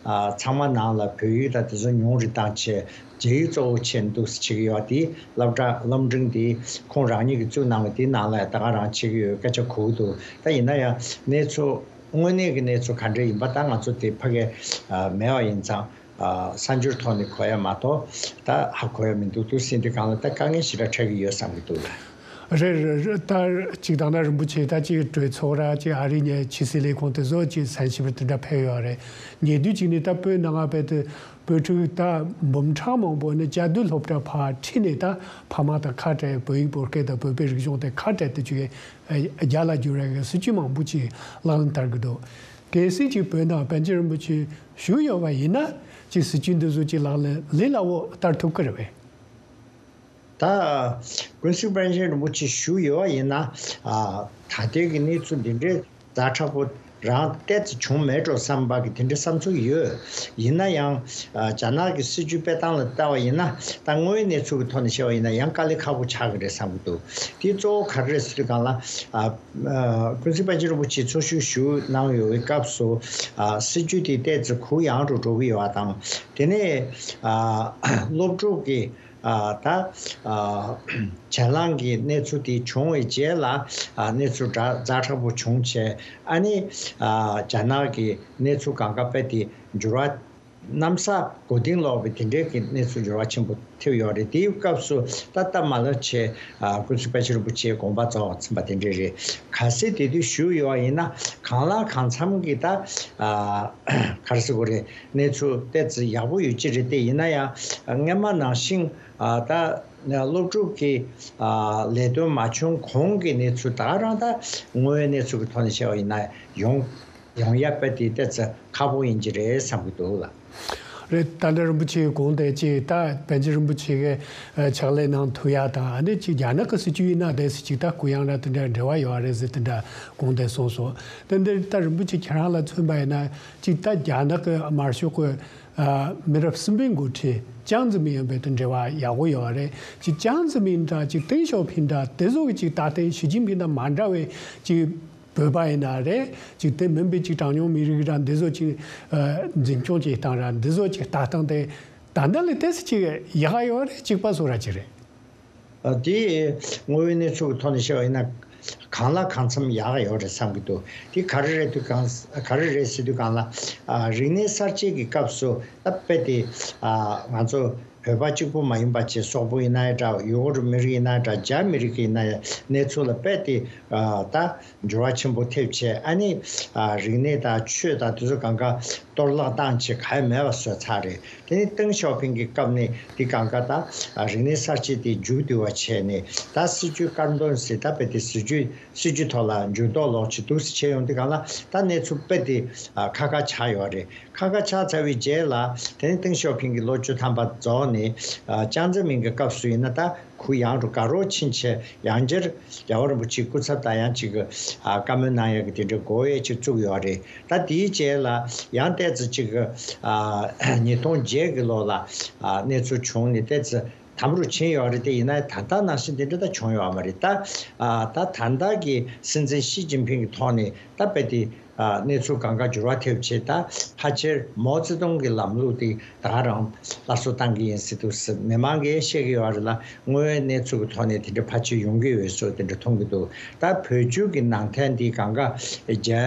ཨ་ཚང་མ་ནང་ལ་བོད་ཡིག་དང་དེ་ཚོ་ཉུང་རུ་བཏང་བྱས། རྒྱ་ཡིག་གཙོ་བོ་བྱས་འདུག་སེ་བྱེད་ཀྱི་ཡོད། དེ་སློབ་གྲྭ་སློབ་འབྲིང་དེ་ཁོང་རང་ཉིད་ཀྱིས་བཙུགས་གནང་བའི་དེའི་ནང་ལ་ད་ག་རང་བྱེད་ཀྱི་ཡོད་སྐད་ཆ་གོ་གི་འདུག་ད་ཡིན་ན་ཡང་གནས་ཚུལ་དངོས་གནས་ཀྱི་གནས་ཚུལ་ག་འདྲ་ཡིན་པ་ད་ང་ཚོ་དེ་ཕ་གིར་ཨ་མེད་པ་ཡིན་ཙང་། ཨ་གསར་འགྱུར་ཐོག་ནས་གོ་ཡ་མ་གཏོགས་ད་ཧ་གོ་ཡ་མི་འདུག་འདུག་སེ་འདི་སྒང་ལ་ད་དཀའ་ངལ་ཞེ་དྲག་འཕྲད་ཀྱི་ཡོད་བསམ་གྱི་འདུག་ལ། རེད་རེད་རེད། ད་ཅིག་དང་ན་རིན་པོ་ཆེ་ད་ཅིག་གྲོས་ཚོགས་ར་ཅིག་ཨ་རི་ནས་ཕྱི་སྲིད་ལས་ཁུངས་དེ་ཚོ་ཅིག་གསན་ཞིབ་དེ་འདྲ་ཕེབས་ཡོད་རེད། ཉེ་དུས་ཅིག་ནས་ད་བོད་ནང་ང་བོད་དུ་བོད་ཕྲུག་ད་འབུམ་ཕྲག་མང་པོ་ནས་བཅའ་སྡོད་སློབ་གྲྭ་ཕར་ཁྲིད་ནས་ད་ཕ་མ་དང་ཁ་བྲལ། བོད་ཡིག་བོད་སྐད་དང་བོད་པའི་རིག་གཞུང་དེ་ཁ་བྲལ་དུ་བཅུག་ཡས་རྒྱ་ལ་བསྒྱུར་བའི་སྲིད་བྱུས་མང་པོ་ཅིག་ལག་ལེན་བསྟར་གྱི་འདུག་གལ་སྲིད་ཅིག་བོད་ནང་པཎ་ཆེན་རིན་པོ་ཆེ་བཞུགས་ཡོད་པ་ཡིན་ན་ཅིག་སྲིད་བྱུས་འདི་ཚོ་ཅིག་ལག་ལེན་ལས་སླ་བོ་བསྟར་ཐུབ་ཀྱི་རེད་པས། ད་ཀུན་གཟིགས་པཎ་ཆེན་རིན་པོ་ཆེ་བཞུགས་ཡོད་པ་ཡིན་ན། ཨ་ད་ལྟའི་གི་གནས་ཚུལ་འདི་འདྲའི་ཛ་དྲག་པོ་རང་ཏོག་ཙམ་བྱུང་མེད་འགྲོ་བསམ་པ་གི་དེ་འདྲའི་བསམ་ཚུལ་ཡོད། ཡིན་ན་ཡང་ཨ་རྒྱ་ནག་གི་སྲིད་བྱུས་སྤེལ་སྟངས་ལ་བལྟ་བ་ཡིན་ན། ད་དངོས་ཡོད་གནས་ཚུལ་གི་ཐོག་ནས་བཤད་པ་ཡིན་ན་ཡང་དཀའ་ལས་ཁག་པོ་ཆགས་ཀྱི་རེད་བསམ་གྱི་འདུག་དེ་གཙོ་བོ་ག་རེ་རེད་ཟེར་དུས་སྒང་ལ། ཨ་ཨ་ཀུན་གཟིགས་པཎ་ཆེན་རིན་པོ་ཆེ་འཚོ་བཞུགས་བཞུགས་གནང་ཡོད་པའི་སྐབས་སུ། ཨ་སྲིད་བྱུས་དེ་ཏོག་ཙམ་གུ་ཡངས་རུ་འགྲོ་གི་ཡོད་པ་དང་། དེ་ནས་ཨ་སློབ་ཕྲུག་གི་ཨ་ད་ཨ་གྱེན་ལངས་ཀྱི་གནས་ཚུལ་དེ་བྱུང་བའི་རྗེས་ལ། ཨ་གནས་ཚུལ་ཛ་ཛ་དྲག་པོ་བྱུང་བྱས། ཨ་ནི་ཨ་རྒྱ་ནག་གི་གནས་ཚུལ་སྒང་ག་དཔེ་དེ་འགྱུར་བ་གནམ་ས་མགོ་རྟིང་སློག་པའི་དེ་འདྲའི་གི་གནས་ཚུལ་འགྱུར་བ་ཆེན་པོ་ཐེབས་ཡོད་རེད། དེའི་སྐབས་སུ་ད་སྟབས་མ་ལེགས་བྱས་ཨ་ཀུན་གཟིགས་པཎ་ཆེན་རིན་པོ་ཆེའི་དགོངས་པ་རྫོགས་ཟིན་པ་དེ་འདྲ་རེད། གལ་སྲིད་དེ་དུས་བཞུགས་ཡོད་པ་ཡིན་ན་གང་ལ་གང་འཚམ་གྱི་ད་ཨ་ག་རེ་ཟེར་དགོས་རེད། གནས་ཚུལ་ཏོག་ཙམ་ཡག་པོ་ཡོད་ཀྱི་རེད། དེ་ཡིན་ན་ཡང་སྔོན་མ་ནང་བཞིན་ཨ་ད་སློབ་ཕྲུག་གི་ཨ་ལས་དོན་མ་བྱུང་གོང་གི་གནས་ཚུལ་ད་ག་རང་ད་དངོས་ཡོད་གནས་ཚུལ་གྱི་ཐོག་ནས་བཤད་པ་ཡིན་ན་ཡོང་ཡོང་ཡ་དཔེ་དེ་ཏོག་ཙམ་ཁག་པོ་ཡིན་གྱི་རེད་བསམ་གྱི་འདུག་ལ། རེད། ད་ལྟ་རིན་པོ་ཆེའི་དགོངས་དོན་ཅིག་ད་པཎ་ཆེན་རིན་པོ་ཆེ་གི་ཕྱག་ལས་གནང་ཐུབ་ཡ་དང་། ཨ་ནི་ཅིག་རྒྱ་ནག་གི་སྲིད་བྱུས་ཡིན་ན་དེ་སྲིད་ཅིག་ད་གུ་ཡངས་ར་དེ་འདྲ་འབྲེལ་བ་ཡོད་རེད་ཟེར་དེ་འདྲ་དགོངས་དོན་གསུངས་སོང་། དེ་འདིར་ད་རིན་པོ་ཆེ་ཁྱེད་རང་ལ་མཚོན་པ་ཡིན་ན་ཅིག་ད་རྒྱ་ནག་གི་དམར་ཤོག་གི་མི་རབས་གསུམ་པའི་འགོ་ཁྲིད་ཅང་ཙེ་མིན་ཡང་བོད་དུ་འབྲེལ་བ་ཡག་པོ་ཡོད་རེད། ཅིག་ཅང་ཙེ་མིན་འདྲ་ཅིག་ཏེང་ཞའོ་ཕིང་འདྲ་དེ་ཚོ་གི་ཅིག་ད་ལྟའི་ཞི་ཅིན་ཕིང་དང་མ་འདྲ་བའི་ཅིག་བོད་པ་ཡིན་ན་རེད། ཅིག་དེ་མིན་པའི་ཅིག་གྲངས་ཉུང་མི་རིགས་ར་འདི་ཚོ་ཅིག་ཨ་འཛིན་སྐྱོང་བྱེད་སྟངས་ར་འདི་ཚོ་ཅིག་ལྟ་སྟངས་དེ་ད་ལྟ་ལས་ཏོག་ཙམ་ཅིག་ཡག་ག་ཡོད་རེད། གཅིག་པ་བཟོ་ར་ཅིག་རེད། ཨ་དེ་དངོས་ཡོད་གནས་ཚུལ་གྱི་ཐོག་ནས་བཤད་པ་ཡིན་ན་གང་ལ་གང་འཚམ་ཡག་ག་ཡོད་རེད་བསམ་གྱི་འདུག་དེ་ག་རེ་རེད་དུས་གང་ག་རེ་རེད་ཟེར་དུས་སྒང་ལ། ཨ་རིག་གནས་གསར་བརྗེ་གི་སྐབས་སུ་ད་དཔེ་དེ་ཨ་ང་ཚོ་བོད་པ་གཅིག་པུ་མ་ཡིན་པ་བྱས། སོག་པོ་ཡིན་ན་ཡང་འདྲ། ཡུ་གུར་མི་རིགས་ཡིན་ན་ཡང་འདྲ། རྒྱ་མི་རིགས་ཡིན་ན་ཡང་། གནས་ཚུལ་ལ་དཔེ་དེ་ཨ་ད་འགྱུར་བ་ཆེན་པོ་ཐེབས་བྱས། ཨ་ནི་ཨ་རིག་གནས་དང་ཆོས་དང་དེ་ཚོ་སྒང་ག་གཏོར་བརླག་བཏང་བྱས་ག་ཡ་མེད་པ་བཟོས་ཚར་རེད། དེ་ནི་ཏེང་ཞའོ་ཕིང་གི་སྐབས་ནས་དེ་སྒང་ག་ད་ཨ་རིག་གནས་གསར་བརྗེ་དེ་མཇུག་བསྡུ་བ་བྱས་ནས། ད་སྲིད་བྱུས་དཀར་འདོན་ཟེར། ད་དཔེ་དེ་སྲིད་བྱུས་སྲིད་བྱུས་ཐོག་ལ་འགྱུར་ལྡོག་ལོག་ཅིག་འདུག་སེ་བྱས་ཡོང་དུས་སྒང་ལ་ད་གནས་ཚུལ་དཔེ་དེ་ཨ་ཁ་ཁ་ཆགས་ཡོད་རེད། ཁ་ཁ་ཆགས་ཚར་བའི་རྗེས་ལ་དེ་ནི་ཏེང་ཞའོ་ཕིང་གི་ལོ་བཅུ་ཐམ་པ་རྫོགས་ནས་ཨ་ཅང་ཙེ་མིན་གྱི་སྐབས་སུ་ཡིན་ན་ད་གུ་ཡངས་རུ་དགའ་རོགས་ཕྱིན་བྱས། ཡང་བསྐྱར་རྒྱལ་བ་རིན་པོ་ཆེའི་སྐུ་ཚབ་དང་ཡང་ཅིག་གི་ཨ་བཀའ་མོལ་གནང་ཡག་གི་དེ་འདྲའི་གོ་བའི་ཅིག་བཙུགས་ཡོད་རེད། ད་དེའི་རྗེས་ལ་ཡང་ཏོག་ཙམ་ཅིག་གི་ཨ་ཉིས་སྟོང་བརྒྱད་གི་ལོ་ལ་ཨ་གནས་ཚུལ་བྱུང་ནས་ཏོག་ཙམ་དམ་རུ་ཕྱིན་ཡོད་རེད། དེ་ཡིན་ན་ད་ལྟ་ནང་བཞིན་དེ་འདྲ་ད་བྱུང་ཡོད་མ་རེད། ད་ཨ་ད་ད་ལྟ་གི་སྲིད་འཛིན་ཞི་ཅིན་ཕིང་གི་ཐོག་ནས་ད་དཔེ་དེ་ཨ་གནས་ཚུལ་སྒང་ག་འགྱུར་བ་ཐེབས་བྱས། ད་ཕལ་ཆེར་མའོ་ཙེ་ཏུང་གི་ལམ་ལུགས་དེ་ད་ག་རང་སླར་གསོ་བཏང་གི་ཡིན་ཟེར་འདུག་ཟེར་མི་མང་གིས་བཤད་ཀྱི་ཡོད་རེད་ལ། དངོས་ཡོད་གནས་ཚུལ་གྱི་ཐོག་ནས་དེ་འདྲ་ཕལ་ཆེར་ཡོང་གི་ཡོད་བཟོ་དེ་འདྲ་མཐོང་གི་འདུག་ད་བོད་བརྒྱུད་ཀྱི་ནང་བསྟན་འདི་སྒང་ག་རྒྱ་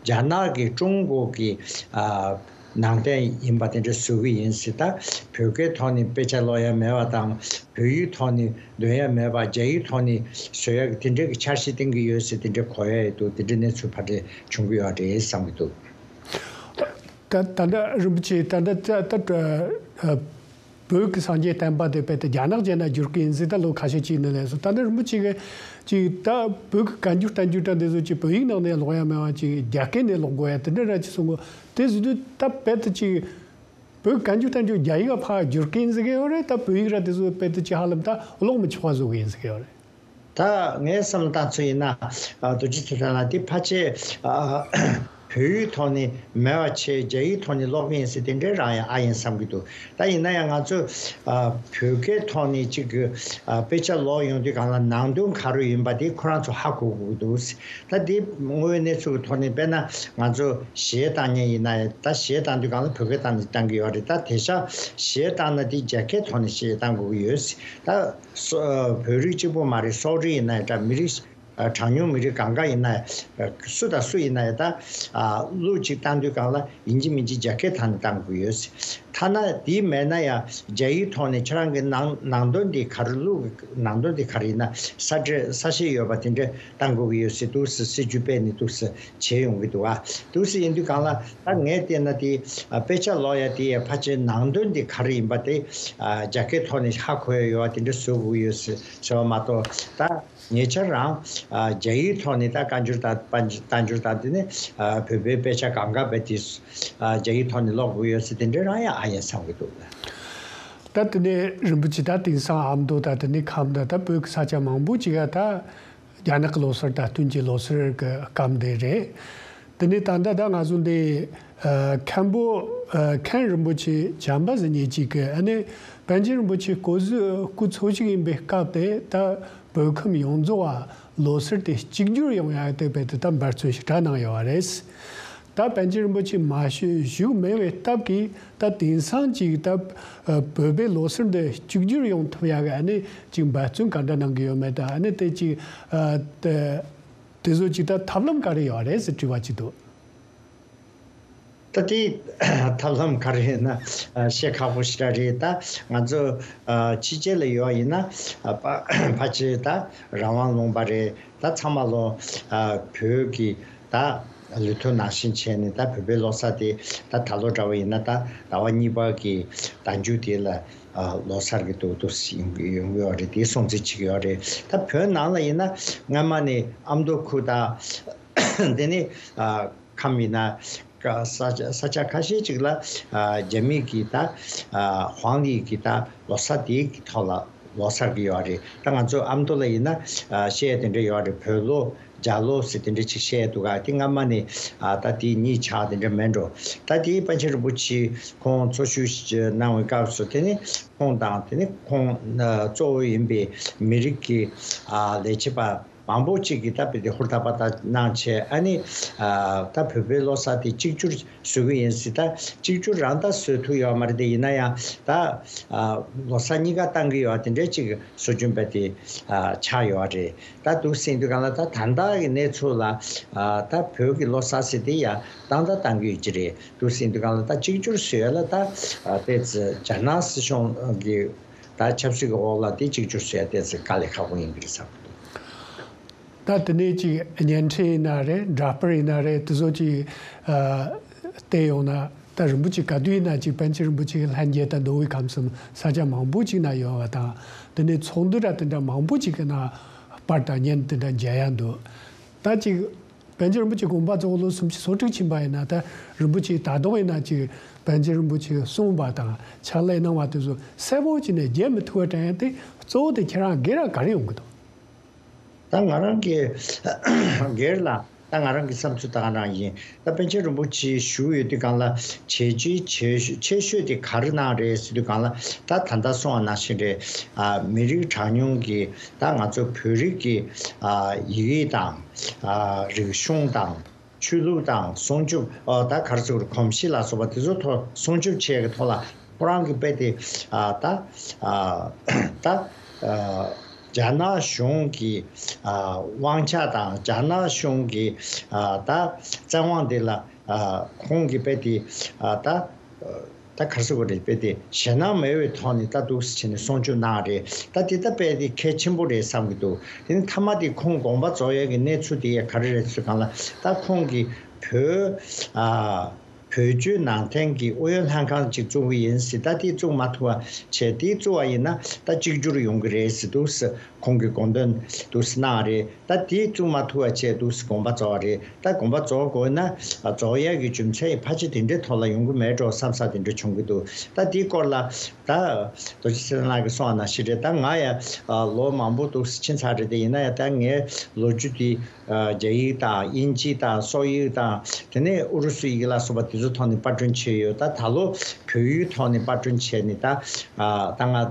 རྒྱ་ནག་གི་ཀྲུང་གོ་གི་ཨ་ནང་བསྟན་ཡིན་པ་དེ་འདྲ་བཟོ་གི་ཡིན་ཟེར། ད་བོད་སྐད་ཐོག་ནས་དཔེ་ཆ་ཀློག་ཡ་མེད་པ་དང་། བོད་ཡིག་ཐོག་ནས་འདོན་ཡ་མེད་པ། རྒྱ་ཡིག་ཐོག་ནས་བཟོ་ཡ་གི་དེ་འདྲའི་གི་འཆར་གཞི་བཏིང་གི་ཡོད་ཟེར་དེ་འདྲའི་གོ་ཡ་ཡོད་འདུག་དེ་འདྲའི་གནས་ཚུལ་ཕར་འདྲ་བྱུང་གི་ཡོད་རེད་བསམ་གི་འདུག་ད་ད་ལྟ་རིན་པོ་ཆེ་ད་ལྟ་ད་ལྟ་ཨ་བོད་ཀྱི་སངས་རྒྱས་བསྟན་པ་དེ་དཔེ་དེ་རྒྱ་ནག་རྒྱལ་ནང་བསྒྱུར་གི་ཡིན་ཟེར་ད་ལོ་ཁ་ཤས་ཅིག་ནས་ལས་སོང་། ད་ལྟ་རིན་པོ་ཆེ་གིས་ཅིག་ད་བོད་ཀྱི་བཀའ་འགྱུར་བསྟན་འགྱུར་ད་འདི་ཚོ་ཅིག་བོད་ཡིག་ནང་ནས་ཀློག་ཡ་མེད་པ་ཅིག་རྒྱ་སྐད་ནས་ཀློག་དགོས་ཡ་དེ་འདྲ་ར་ཅིག་གསུང་གོ་དེ་ཟེར་དུས་ད་དཔེ་དེ་ཅིག་བོད་བཀའ་འགྱུར་བསྟན་འགྱུར་རྒྱ་ཡིག་ལ་ཕར་བསྒྱུར་གི་ཡིན་ཟེར་གི་ཡོད་རེད། ད་བོད་ཡིག་ར་དེ་ཚོ་དཔེ་དེ་ཅིག་ཧ་ལམ་ད་ཀློག་མི་ཆོག་པ་བཟོ་གི་ཡིན་ཟེར་གི་ཡོད་རེད། ད་ངའི་བསམ་བློ་བཏང་ཚོད་ཡིན་ན། ཨ་རྡོ་རྗེ་ཐེག་པ་ལ་དེ་ཕལ་ཆེར་ཨ་ བོད་ཡིག་ཐོག་ནས་མེད་པ་བྱས་རྒྱ་ཡིག་ཐོག་ནས་ཀློག་གི་ཡིན་ཟེར་དེ་འདྲའི་རང་ཡང་ཨ་ཡིན་བསམ་གྱི་འདུག་ད་ཡིན་ན་ཡང་ང་ཚོ་ཨ་བོད་སྐད་ཐོག་ནས་ཅིག་གི་ཨ་དཔེ་ཆ་ཀློག་ཡོང་དུས་སྒང་ལ་ནང་དོན་ག་རེ་ཡིན་པ་དེ་ཁོ་རང་ཚོ་ཧ་གོ་དགོས་ཀྱི་འདུག་ད་དེ་དངོས་ཡོད་གནས་ཚུལ་གྱི་ཐོག་ནས་དཔེར་ན་ང་ཚོ་གཞས་བཏང་མཁན་ཡིན་ན་ཡང་ད་གཞས་བཏང་དུས་སྒང་ལ་བོད་སྐད་བཏང་ནས་བཏང་གི་ཡོད་རེད། ད་དེང་སང་གཞས་བཏང་ན་དེ་རྒྱ་སྐད་ཐོག་ནས་གཞས་བཏང་དགོས་ཀྱི་ཡོད། ད་སོ་བོད་རིགས་གཅིག་པུ་མ་རེད། སོག་རིགས་ཡིན་ན་ཡང་འདྲ། མི་རིགས་ཨ་གྲངས་ཉུང་མི་རིགས་གང་ག་ཡིན་ན་ཡང་སུ་དང་སུ་ཡིན་ན་ཡང་ད་ཨ་གླུ་གཅིག་བཏང་དུས་སྒང་ལ་ཡིན་གཅིག་མིན་གཅིག་རྒྱ་སྐད་ཐོག་ནས་བཏང་དགོས་ཀྱི་ཡོད། ཐ་ན་དེ་མེད་ན་ཡང་རྒྱ་ཡིག་ཐོག་ནས་ཁྱེད་རང་གི་ནང་ནང་དོན་དེ་ག་རེ། གླུ་གི་ནང་དོན་དེ་ག་རེ་ཡིན་ན། ས་འབྲེལ་ས་བཤད་ཡོད་པ་དེ་འདྲ་བཏང་དགོས་ཀྱི་ཡོད་ཟེར་འདུག་སེ་སྲིད་ཇུས་སྤེལ་ནས་འདུག་སེ་བྱས་ཡོང་གི་འདུག་ཨ་འདུག་སེ་ཡིན་དུས་སྒང་ལ་ད་ངས་བལྟས་ན་དེ་ཨ་དཔེ་ཆ་ཀློག་ཡ་དེ་ཡ་ཕལ་ཆེར་ནང་དོན་དེ་ག་རེ་ཡིན་པ་དེ་ཨ་རྒྱ་སྐད་ཐོག་ནས་ཧ་གོ་ཡ་ཡོད་པ་དེ་འདྲ་བཟོ་དགོས་ཀྱི་ཡོད་ཟེར་ཟེར་བ་མ་གཏོགས། ད་ཉེ་ཆར་རང་ཨ་རྒྱ་ཡིག་ཐོག་ནས་ད་བཀའ་འགྱུར་དང་། བཀའ་འགྱུར་དང་དེ་ནས་ཨ་བོད་པའི་དཔེ་ཆ་གང་ག་བས་དེ་ཨ་རྒྱ་ཡིག་ཐོག་ནས་ཀློག་དགོས་ཡོད་ཟེར་དེ་འདྲ་རང་ཡང་ཨ་ཡིན་བསམ་གྱི་འདུག་ད་དེ་ནས་རིན་པོ་ཆེ་ད་དེང་སང་ཨ་མདོ་དང་དེ་ནས་ཁམས་དང་ད་བོད་ཀྱི་ས་ཆ་མང་པོ་ཅིག་ག་ད་རྒྱ་ནག་གི་ལོ་གསར་དང་སྟོན་གྱི་ལོ་གསར་གྱི་སྐབས་འདི་རེད། དེ་ནས་ད་ལྟ་ད་ང་ཚོ་འདི་ཨ་མཁན་པོ་ཨ་མཁན་རིན་པོ་ཆེ་བྱམས་པ་ཟེར་མཁན་ཅིག་གིས་ཨ་ནི་པཎ་ཆེན་རིན་པོ་ཆེ་སྐུ་གཟུགས་སྐུ་འཚོ་བཞུགས་ཡིན་པའི་སྐབས་དེ་ད་བོད་ཁམས་ཡོངས་རྫོགས་ཨ་ལོ་གསར་དེ་གཅིག་གྱུར་ཡོང་ཡ་དེ་བས་དེ་ད་འབད་བརྩོན་ཞེ་དྲག་གནང་ཡོད་པ་རེད། ད་པཎ་ཆེན་རིན་པོ་ཆེ་མ་བཞུགས་བཞུགས་མེད་པའི་སྟབས་ཀྱིས་ད་དེང་སང་ཅིག་ད་ཨ་བོད་པའི་ལོ་གསར་འདི་གཅིག་གྱུར་ཡོང་ཐུབ་ཡ་གི་ཨ་ནི་ཅིག་འབད་བརྩོན་ག་འདྲ་གནང་གི་ཡོད་མེད། ད་ཨ་ནི་དེ་ཅིག་ཨ་དེ་དེ་ཚོ་ཅིག་ད་ཐབས་ལམ་ག་རེ་ཡོད་རེད་ཟེར་དྲི་བ་ཅིག་འདུག་ད་དེ་ཐབས་ལམ་ག་རེ་ཡིན་ན་ཨ་བཤད་ཁག་པོ་ཞེ་དྲག་རེད། ད་ང་ཚོ་ཨ་ཕྱི་རྒྱལ་ལ་ཡོད་ཡིན་ན་ཨ་ཕ་ཕལ་ཆེར་ད་རང་དབང་ལུང་པ་རེད། ད་ཚང་མ་ལོ་ཨ་བོད་ཀྱི་ད་ལུས་ཐོག་ནང་བཞིན་བྱས་ནས་ད་བོད་པའི་ལོ་གསར་དེ་ད་ད་ལོ་འདྲ་བ་ཡིན་ན་ད་ཟླ་བ་གཉིས་པ་གི་ཟླ་མཇུག་དེ་ལ་ཨ་ལོ་གསར་གྱི་འདུག་འདུག་ཡོང་གི་ཡོད་རེད། དེ་སྲུང་བརྩི་བྱེད་ཀྱི་ཡོད་རེད། ད་བོད་ནང་ལ་ཡིན་ན་སྔ་མ་ནས་ཨ་མདོ་ཁུལ་དང་དེ་ནས་ཨ་ཁམས་ཡིན་ན་ཀ་ས་ཆ་ས་ཆ་ཁ་ཤས་ཅིག་ལ་ཨ་རྒྱ་མི་གི་ད་ཨ་ཧོང་ལི་གི་ད་ལོ་གསར་དེའི་གི་ཐོག་ལ་ལོ་གསར་གི་ཡོད་རེད། ད་ང་ཚོ་ཨ་མདོ་ལ་ཡིན་ན་ཨ་བཤད་དེ་འདྲ་ཡོད་རེད། བོད་ལོ་རྒྱ་ལོ་ཟེར་དེ་འདྲ་ཅིག་བཤད་འདུག་ག་དེ་སྔ་མ་ནས་ཨ་ད་དེ་གཉིས་ཆགས་དེ་འདྲ་མེད་འགྲོ། ད་དེ་པཎ་ཆེན་རིན་པོ་ཆེ་ཁོང་འཚོ་བཞུགས་གནང་བའི་སྐབས་སུ་དེ་ནི་ཁོང་དང་དེ་ནི་ཁོང་ཨ་གཙོ་བོ་ཡིན་པའི་མི་རིགས་ཀྱི་ཨ་ལས་བྱེད་པ་མང་པོ་ཅིག་གིས་ད་བོད་དེ་ཧུར་ཐག་པ་ད་གནང་བྱས། ཨ་ནི་ཨ་ད་བོད་པའི་ལོ་གསར་དེ་གཅིག་གྱུར་བཟོ་གི་ཡིན་ཟེར། ད་གཅིག་གྱུར་རང་ད་བཟོ་ཐུབ་ཡོད་མ་རེད། དེ་ཡིན་ན་ཡང་ད་ཨ་ལོ་གསར་གཉིས་ཀ་བཏང་གི་ཡོད་དེ་འདྲའི་ཅིག་སྲོལ་རྒྱུན་པ་དེ་ཨ་ཆགས་ཡོད་རེད། ད་འདུག་སེ་ཡིན་དུས་སྒང་ལ་ད་ད་ལྟ་གི་གནས་ཚུལ་ལ་ཨ་ད་བོད་ཀྱི་ལོ་གསར་ཟེར་དེ་ཡང་བཏང་ད་བཏང་གི་ཡོད་ཀྱི་རེད། འདུག་སེ་ཡིན་དུས་སྒང་ལ་ད་གཅིག་གྱུར་བཟོ་ཡ་ལ་ད་ཨ་ཏོག་ཙམ་རྒྱ་ནག་སྲིད་གཞུང་གི་ད་ཆབ་སྲིད་ཀྱི་འོག་ལ་དེ་གཅིག་གྱུར་བཟོ་ཡ་ཏོག་ཙམ་དཀའ་ལས་ཁག་པོ་ཡིན་གྱི་རེད་བསམ་གྱི་འདུག་ད་དེ་ནས་ཅིག་བརྙན་འཕྲིན་ཡིན་ན་རེད། འདྲ་པར་ཡིན་ན་རེད། དེ་ཚོ་ཅིག་ཨ་བལྟས་ཡོང་ན་ད་རིན་པོ་ཆེ་ག་དུས་ཡིན་ན་ཅིག་པཎ་ཆེན་རིན་པོ་ཆེ་གི་ལྷན་རྒྱས་དང་མདོ་དབུས་ཁམས་གསུམ་ས་ཆ་མང་པོ་ཅིག་ན་ཡོད་པ་དང་། དེ་ནས་ཚོགས་འདུ་ར་དེ་འདྲ་མང་པོ་ཅིག་གི་ནང་པར་དང་བརྙན་དེ་འདྲ་མཇལ་ཡ་འདུག་ད་ཅིག་པཎ་ཆེན་རིན་པོ་ཆེ་དགོངས་པ་རྫོགས་ལོ་སུམ་ཅུ་སོ་དྲུག་ཕྱིན་པ་ཡིན་ན། ད་རིན་པོ་ཆེ་ད་དུང་ཡིན་ན་ཅིག་པཎ་ཆེན་རིན་པོ་ཆེ་གསུངས་པ་དང་ཕྱག་ལས་གནང་བ་དེ་ཚོ་གསལ་པོ་ཅིག་ནས་མཇལ་མི་ཐུབ་པ་དྲན་ཡ་དེ་གཙོ་བོ་དེ་ཁྱེད་རང་སྒེར་ར་ག་རེ་ཡོང་གི་འདུག་ད་ང་རང་གི་སྒེར་ལ་ད་ང་རང་གི་བསམ་ཚུལ་ད་ག་རང་ཡིན། ད་པཎ་ཆེན་རིན་པོ་ཆེ་བཞུགས་ཡོད་དུས་སྒང་ལ་བྱས་རྗེས་ཆེ་ཤོས་ཆེ་ཤོས་དེ་ག་རེ་གནང་རེད་ཟེར་དུས་སྒང་ལ། ད་ད་ལྟ་གསུངས་པ་ནང་བཞིན་རེད། ཨ་མི་རིགས་གྲངས་ཉུང་གི་ད་ང་ཚོ་བོད་རིགས་ཀྱི་ཨ་ཡི་གེ་དང་ཨ་རིག་གཞུང་དང་ཆོས་ལུགས་དང་སྲུང་སྐྱོབ། ཨ་ད་ག་རེ་ཟེར་དགོས་རེད། གོམས་གཤིས་ལ་སོགས་པ་དེ་ཚོ་ཐོག་སྲུང་སྐྱོབ་བྱེད་ཡག་གི་ཐོག་ལ་ཁོ་རང་གི་དཔེ་དེ་ཨ་ད་ཨ་ད་ཨ་རྒྱ་ནག་གཞུང་གི་ཨ་དབང་ཆ་དང་རྒྱ་ནག་གཞུང་གི་ཨ་ད་བཙན་དབང་དེ་ལ་ཨ་ཁོང་གི་དཔེ་དེ་ཨ་ད་ཨ་ད་ག་རེ་ཟེར་དགོས་རེད། དཔེ་དེ་ཞེད་སྣང་མེད་པའི་ཐོག་ནས་ད་འདུག་སེ་བྱས་ནས་སྲུང་སྐྱོབ་གནང་རེད། ད་དེ་ད་དཔེ་དེ་གལ་ཆེན་པོ་རེད་བསམ་གྱི་འདུག་དེ་ནི་མཐའ་མ་དེ་ཁོང་དགོངས་པ་རྫོགས་ཡག་གི་གནས་ཚུལ་དེ་ཡང་ག་རེ་རེད་ཟེར་སྒང་ལ། ད་ཁོང་གིས་བོད་ཨ་ བོད་བརྒྱུད་ནང་བསྟན་གྱི་ཨུ་ཡོན་ལྷན་ཁང་ཅིག་བཙུགས་ཀྱི་ཡིན་ཟེར། ད་དེ་བཙུགས་མ་ཐུབ་པ་བྱས། དེ་བཙུགས་པ་ཡིན་ན་ད་གཅིག་གྱུར་ཡོང་གི་རེད་ཟེར་འདུག་ཟེར། ཁོང་གིས་དགོངས་དོན་འདུག་སེ་གནང་རེད། ད་དེ་བཙུགས་མ་ཐུབ་པ་བྱས་འདུག་སེ་དགོངས་པ་རྫོགས་པ་རེད། ད་དགོངས་པ་རྫོགས་དགོས་ན་རྫོགས་ཡག་གི་རྒྱུ་མཚན་ཕལ་ཆེར་དེ་འདྲའི་ཐོག་ལ་ཡོང་གི་མེད་འགྲོ་བསམ་ས་དེ་འདྲ་བྱུང་གི་འདུག་ད་དེའི་སྐོར་ལ་ད་རྡོ་རྗེ་ཚེ་བརྟན་ལགས་ཀྱིས་གསུངས་པ་ནང་བཞིན་རེད། ད་ང་ཡང་ལོ་མང་པོ་འདུག་སེ་ཕྱིན་ཚར་རེད། དེ་ཡིན་ན་ཡང་ད་ངའི་ལོ་རྒྱུས་དེ་རྒྱ་ཡིག་དང་དབྱིན་ཇི་དང་སོག་ཡིག་དང་དེ་ནས་ཨུ་རུ་སུ་ཡི་གེ་ལ་སོགས་པ་དེ་ཚོ་ཐོག་ནས་པར་སྐྲུན་བྱས་ཡོད། ད་ད་ལོ་བོད་ཡིག་ཐོག་ནས་པར་སྐྲུན་བྱས་ནས་ད་ད་ང་།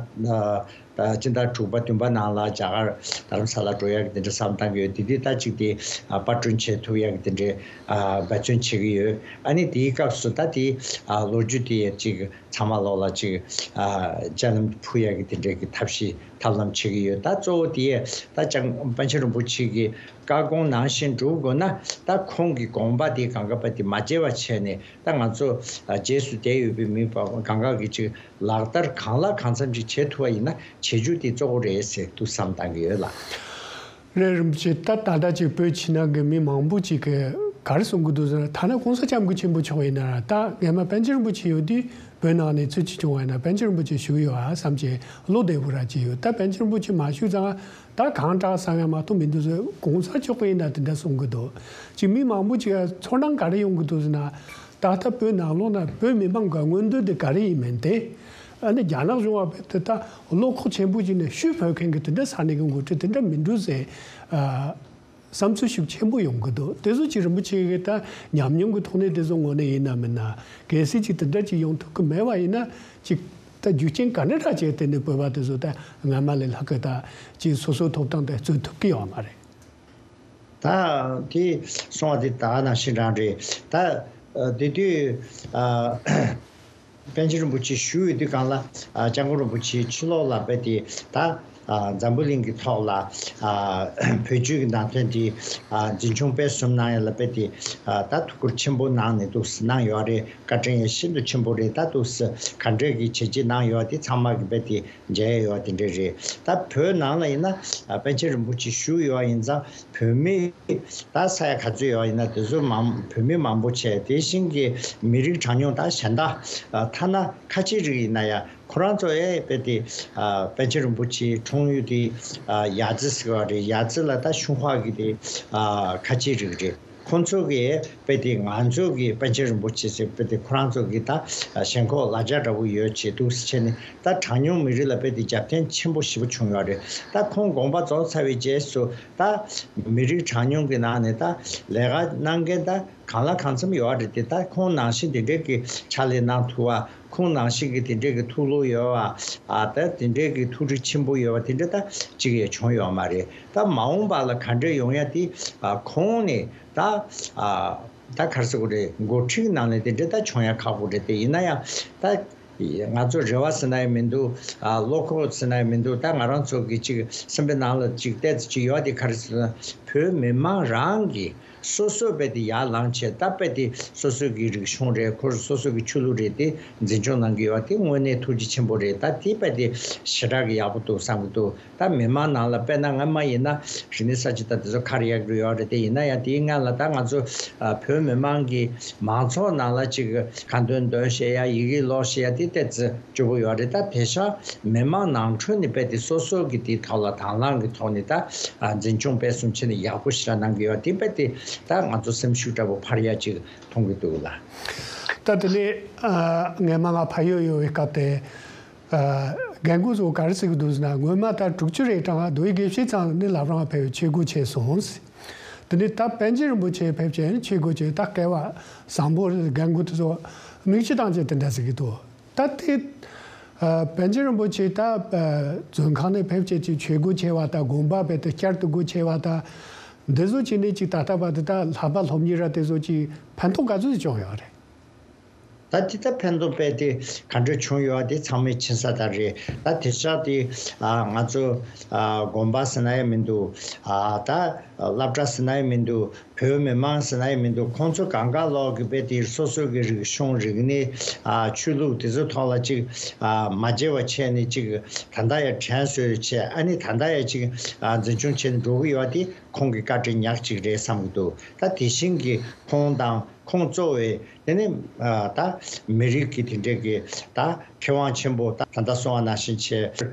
ད་སྤྱི་ཟླ་དྲུག་པ་བདུན་པ་ནང་ལ་རྒྱ་གར་རྡ་རམ་ས་ལ་འགྲོ་ཡག་གི་དེ་འདྲ་བསམ་བཏང་གི་ཡོད། དེ་དུས་ད་ཅིག་དེ་ཨ་པར་སྐྲུན་བྱེད་ཐུབ་ཡག་གི་དེ་འདྲའི་ཨ་འབད་བརྩོན་བྱེད་ཀྱི་ཡོད། ཨ་ནི་དེའི་སྐབས་སུ་ད་དེ་ཨ་ལོ་རྒྱུས་དེ་ཅིག་ཚང་མ་ལོག་ལ་ཅིག་ཨ་ཅ་ལམ་ཕུལ་ཡག་གི་དེ་འདྲའི་གི་ཐབས་ཤེས་ཐབས་ལམ་བྱེད་ཀྱི་ཡོད། ད་གཙོ་བོ་དེ་ད་ཅང་པཎ་ཆེན་རིན་པོ་ཆེ་གི་བཀའ་དགོངས་ནང་བཞིན་སྒྲུབ་དགོས་ན། ད་ཁོང་གི་དགོངས་པ་དེ་གང་ག་པ་དེ་མ་བརྗེད་པ་བྱས་ནས། ད་ང་ཚོ་ཨ་རྗེས་སུ་བསྡད་ཡོད་པའི་མི་གང་ག་གི་ཅིག་ལག་བསྟར་གང་ལ་གང་འཚམ་ཅིག་བྱེད་ཐུབ་པ་ཡིན་ན་བྱེད་རྒྱུ་དེ་གཙོ་བོ་རེད་ཟེར་འདུག་བསམ་བཏང་གི་ཡོད་ལགས། རེད། རིན་པོ་ཆེ། ད་ད་ལྟ་ཅིག་བོད་ཕྱི་ནང་གི་མི་མང་པོ་ཅིག་གིས་ག་རེ་གསུང་གི་འདུག་ཟེར་ན། ཐ་ན་གོང་ས་སྐྱབས་མགོན་ཆེན་པོ་མཆོག་ཡིན་ན་ར། ད་སྔས་མ་པཎ་ཆེན་རིན་པོ་ཆེ་ཡོད་དུས་བོད་ནང་ནས་ཚུར་ཅིག་བྱུང་བ་ཡིན་ན་པཎ་ཆེན་རིན་པོ་ཆེ་བཞུགས་ཡོད་ཨ་བསམ་བྱས་བློ་བདེ་པོ་ར་ཅིག་ཡོད། ད་པཎ་ཆེན་རིན་པོ་ཆེ་མ་བཞུགས་ཙང་ད་གང་དྲག་བསམ་ཡ་མ་གཏོགས་མི་འདུག་ཟེར། གོང་ས་མཆོག་ཡིན་ན་དེ་འདྲ་གསུང་གི་འདུག་ཅིག་མི་མང་པོ་ཅིག་ཚོར་སྣང་ག་རེ་ཡོང་གི་འདུག་ཟེར་ན། ད་ལྟ་བོད་ནང་ལོགས་ན་བོད་མི་མང་གི་མངོན་འདོད་དེ་ག་རེ་ཡིན་མིན་དེ། ཨ་ནི་རྒྱ་ནག་གཞུང་བ་བོད་དེ་ད་བློ་ཁོག་ཆེན་པོ་ཅིག་ནས་ཤུགས་བོད་མཁན་གྱི་དེ་འདྲ་ས་གནས་ཀྱི་འགོ་ཁྲིད་དེ་འདྲ་མི་འདུག་ཟེར། ཨ་བསམ་ཚུལ་ཤུགས་ཆེན་པོ་ཡོང་གི་འདུག་དེ་ཚོ་ཅིག་རིན་པོ་ཆེ་གི་ད་ཉམས་མྱོང་གི་ཐོག་ནས་དེ་ཚོ་ངོས་ནས་ཡིན་ན་མིན་ན་གལ་སྲིད་ཅིག་དེ་འདྲ་ཅིག་ཡོང་ཐུབ་ཀྱི་མེད་པ་ཡིན་ན། ཅིག་ད་རྒྱུ་རྐྱེན་ག་འདྲ་འདྲ་བྱས་དེ་ནས་བོད་པ་དེ་ཚོ་ད་སྔ་མ་ལས་ལྷག་གི་ད་ཅིག་སོ་སོའི་ཐོབ་ཐང་དེ་རྩོད་ཐུབ་ཀྱི་ཡོད་མ་རེད། ད་དེ་གསུངས་པ་དེ་ད་ནང་བཞིན་རང་རེད། ད་ཨ་དེ་དུས་ཨ་པཎ་ཆེན་རིན་པོ་ཆེ་བཞུགས་ཡོད་དུས་སྒང་ལ་ཨ་སྐྱབས་མགོན་རིན་པོ་ཆེའི་ཕྱི་ལོགས་ལ་དཔེ་དེ་ད་ཨ་འཛམ་བུ་གླིང་གི་ཐོག་ལ་ཨ་བོད་བརྒྱུད་ཀྱི་ནང་བསྟན་དེ་ཨ་འཛིན་སྐྱོང་སྤེལ་གསུམ་གནང་ཡ་ལ་དཔེ་དེ་ཨ་ད་ཐུགས་ཁུར་ཆེན་པོ་གནང་ནས་འདུག་གནང་ཡོད་རེད། བཀའ་དྲིན་ཡང་ཤིན་ཏུ་ཆེན་པོ་རེད། ད་འདུག་སེ་ག་འདྲས་ཀྱི་བྱས་རྗེས་གནང་ཡོད་དེ་ཚང་མ་གི་རྦད་དེ་མཇལ་ཡོད་དེ་འདྲས་རེད། ད་བོད་ནང་ལ་ཡིན་ན་ཨ་པཎ་ཆེན་རིན་པོ་ཆེ་བཞུགས་ཡོད་ཡིན་ཙང་བོད་མི་ད་ས་ཡ་ག་ཚོད་ཡོད་ཡིན་ན་དེ་ཚོ་མང་བོད་མི་མང་པོ་བྱས། དེ་བཞིན་གྱི་མི་རིགས་གྲངས་ཉུང་ད་གཞན་དག་ཨ་ཐ་ན་ཁ་ཆེ་རིགས་ཡིན་ན་ཡང་ཁོ་རང་ཚོ་ཨེ་རྦད་དེ་ཨ་པཎ་ཆེན་རིན་པོ་ཆེའི་འཁྲུངས་ཡུལ་དེ་ཨ་ཡ་ཙི་ཟེར་བ་རེད། ཡ་ཙི་ལ་ད་ཤུན་ཧྭ་གི་དེ་ཨ་ཁ་ཆེ་རིགས་རེད། ཁོང་ཚོ་གིས་དཔེ་དེ་ང་ཚོ་གི་པཎ་ཆེན་རིན་པོ་ཆེ་ཟེར་དཔེ་དེ་ཁོ་རང་ཚོ་གི་ད་ཞེན་ཁོག་ལ་རྒྱ་འདྲ་བོ་ཡོད་བྱས་འདུག་སེ་བྱས་ནས། ད་གྲངས་ཉུང་མི་རིགས་ལ་དཔེ་དེ་རྒྱབ་རྟེན་ཆེན་པོ་ཞེ་པོ་བྱུང་ཡོད་རེད། ད་ཁོང་དགོངས་པ་རྫོགས་ཚར་བའི་རྗེས་སུ་ད་མི་རིགས་གྲངས་ཉུང་གི་ནང་ནས་ད་ལས་ཀ་གནང་མཁན་ད་གང་ལ་གང་འཚམ་ཡོད་རེད་དེ། ད་ཁོང་ནང་བཞིན་དེ་འདྲས་ཀྱི་ཕྱག་ལས་གནང་ཐུབ་པ། ཁོང་ནང་བཞིན་གྱི་དེ་འདྲས་ཀྱི་ཐུགས་བློ་ཡོད་པ། ཨ་ད་དེ་འདྲས་ཀྱི་ཐུགས་རིག་ཆེན་པོ་ཡོད་པ་དེ་འདྲས་ད་གཅིག་ཡང་བྱུང་ཡོད་མ་རེད། ད་མ་འོངས་པ་ལ་ག་འདྲས་ཡོང་ཡ་དེ་ཨ་ཁོང་ནས་ད་ཨ་ད་ག་རེ་ཟེར་དགོས་རེད། འགོ་ཁྲིད་ནང་ནས་དེ་འདྲས་ད་བྱུང་ཡ་ཁག་པོ་རེད་དེ། ཡིན་ན་ཡང་ད་ང་ཚོ་རེ་བ་ཟེར་ན་ཡང་མི་འདུག་ཨ་བློ་ཁོག་ཟེར་ན་ཡང་མི་འདུག་ད་ང་རང་ཚོ་གི་ཅིག་སེམས་པའི་ནང་ལ་ཅིག་བལྟས་ཙམ་ཅིག་ཡོད་དེ་ག་རེ་ཟེར་ན། བོད་མི་མང་རང་གི་སོ་སོ་དཔེ་དེ་ཡར་ལངས་བྱས། ད་དཔེ་དེ་སོ་སོ་གི་རིག་གཞུང་རེད། ཁོ་རང་སོ་སོ་གི་ཆོས་ལུགས་རེད། དེ་འཛིན་སྐྱོང་གནང་གི་ཡོད་པ་དེ་དངོས་གནས་ཐུགས་རྗེ་ཆེན་པོ་རེད། ད་དེ་དཔེ་དེ་ཞེ་དྲག་གི་ཡག་པོ་འདུག་བསམ་གི་འདུག་ད་མི་མང་ནང་ལ་དཔེར་ན་སྔ་མ་ཡིན་ན་རིག་གནས་གསར་བརྗེ་ད་དེ་ཚོ་ག་རེ་ཡག་གི་ཡོད་རེད། དེ་ཡིན་ན་ཡང་དེའི་སྔ་ལ་ད་ང་ཚོ་ཨ་བོད་མི་མང་གི་མང་ཚོགས་ནང་ལ་ཅིག་ཁ་འདོན་འདོན་བཤད་ཡ། ཡི་གེ་ཀློག་བཤད་ཡ་དེ་ཏོག་ཙམ་སྐྱོ་པོ་ཡོད་རེད། ད་དེང་སང་མི་མང་ནང་ཁྲོད་ནས་དཔེ་དེ་སོ་སོ་གི་དེའི་ཐོག་ལ་དང་བླངས་ཀྱི་ཐོག་ནས་ད་ཨ་འཛིན་སྐྱོང་སྤེལ་གསུམ་བྱས་ནས་ཡག་པོ་ཞེ་དྲག་གནང་གི་ཡོད། དེ་དཔེ་དེ་ད་ང་ཚོ་སེམས་ཤུགས་འདྲ་པོ་འཕར་ཡ་ཅིག་མཐོང་གི་འདུག་ལ། ད་དེ་ནས་ཨ་སྔས་མ་ང་ཕ་ཡུལ་ཡོད་པའི་སྐབས་དེ་ཨ་རྒན་རྒོན་ཚོ་ག་རེ་ཟེར་གི་འདུག་ཟེར་ན། སྔོན་མ་ད་དྲུག་ཅུ་རེ་གྲངས་རྡོ་སྦིས་དགེ་བཤེས་ཚང་ནི་བླ་བྲང་ཕེབས་ཆོས་སྒོ་ཕྱེ་སོང་ཟེར། དེ་ནས་ད་པཎ་ཆེན་རིན་པོ་ཆེ་ཕེབས་བྱས་ནི་ཆོས་སྒོ་ཕྱེ། ད་སྐལ་བ་བཟང་པོ་རེད། རྒན་རྒོན་དེ་ཚོ་མིག་ཆུ་བཏང་བྱས་དེ་འདྲ་ཟེར་གི་འདུག་ད་དེ་ཨ་པཎ་ཆེན་རིན་པོ་ཆེ་ད་ཨ་མཛོད་ཁང་ནས་ཕེབས་བྱས་ཀྱི་ཆོས་སྒོ་ཕྱེ་བ་དང་། དགོན་པ་རྦད་དེ་བསྐྱར་དུ་སྒོ་ཕྱེ་བ་དང་། འདི་ཚོ་བྱས་ནས་ཅིག་ད་ལྟ་བར་དུ་ད་ལྷག་པ་སློབ་གཉེར་ར་དེ་ཚོ་ཅིག་ཕན་ཐོགས་ག་ཚོད་ཅིག་བྱུང་ཡོད་རེད། ད་དེ་ད་ཕན་ཐོགས་དཔེ་དེ་ག་འདྲ་བྱུང་ཡོད་དེ་ཚང་མས་མཁྱེན་གསལ་ལྟར་རེད། ད་དེང་སང་དེ་ཨ་ང་ཚོ་ཨ་དགོན་པ་ཟེར་ན་ཡང་མི་འདུག་ཨ་ད་སློབ་གྲྭ་ཟེར་ན་ཡང་མི་འདུག་བོད་མི་མང་ཟེར་ན་ཡང་མི་འདུག་ཁོང་ཚོ་གང་ག་ལོག་གི་དཔེ་དེ་སོ་སོ་གི་རིག་གཞུང་རིག་གནས། ཨ་ཆོས་ལུགས་དེ་ཚོ་ཐོག་ལ་ཅིག་ཨ་མ་བརྗེ་བ་བྱས་ནས་ཅིག་ད་ལྟ་ཡང་དྲན་གསོས་བྱས། ཨ་ནི་ད་ལྟ་ཡང་ཅིག་ཨ་འཛིན་སྐྱོང་བྱས་ནས་འགྲོ་གི་ཡོད་པ་དེ་ཁོང་གི་བཀའ་དྲིན་ཉག་གཅིག་རེད་བསམ་གྱི་འདུག་ད་དེ་བཞིན་གྱི་ཁོང་དང་ཁོང་གཙོ་བའི་དེ་ནི་ཨ་ད་མི་རིགས་ཀྱི་དེ་འདྲས་ཀྱི་ད་མཁས་དབང་ཆེན་པོ། ད་ད་ལྟ་གསུངས་པ་ནང་བཞིན་ཆེ་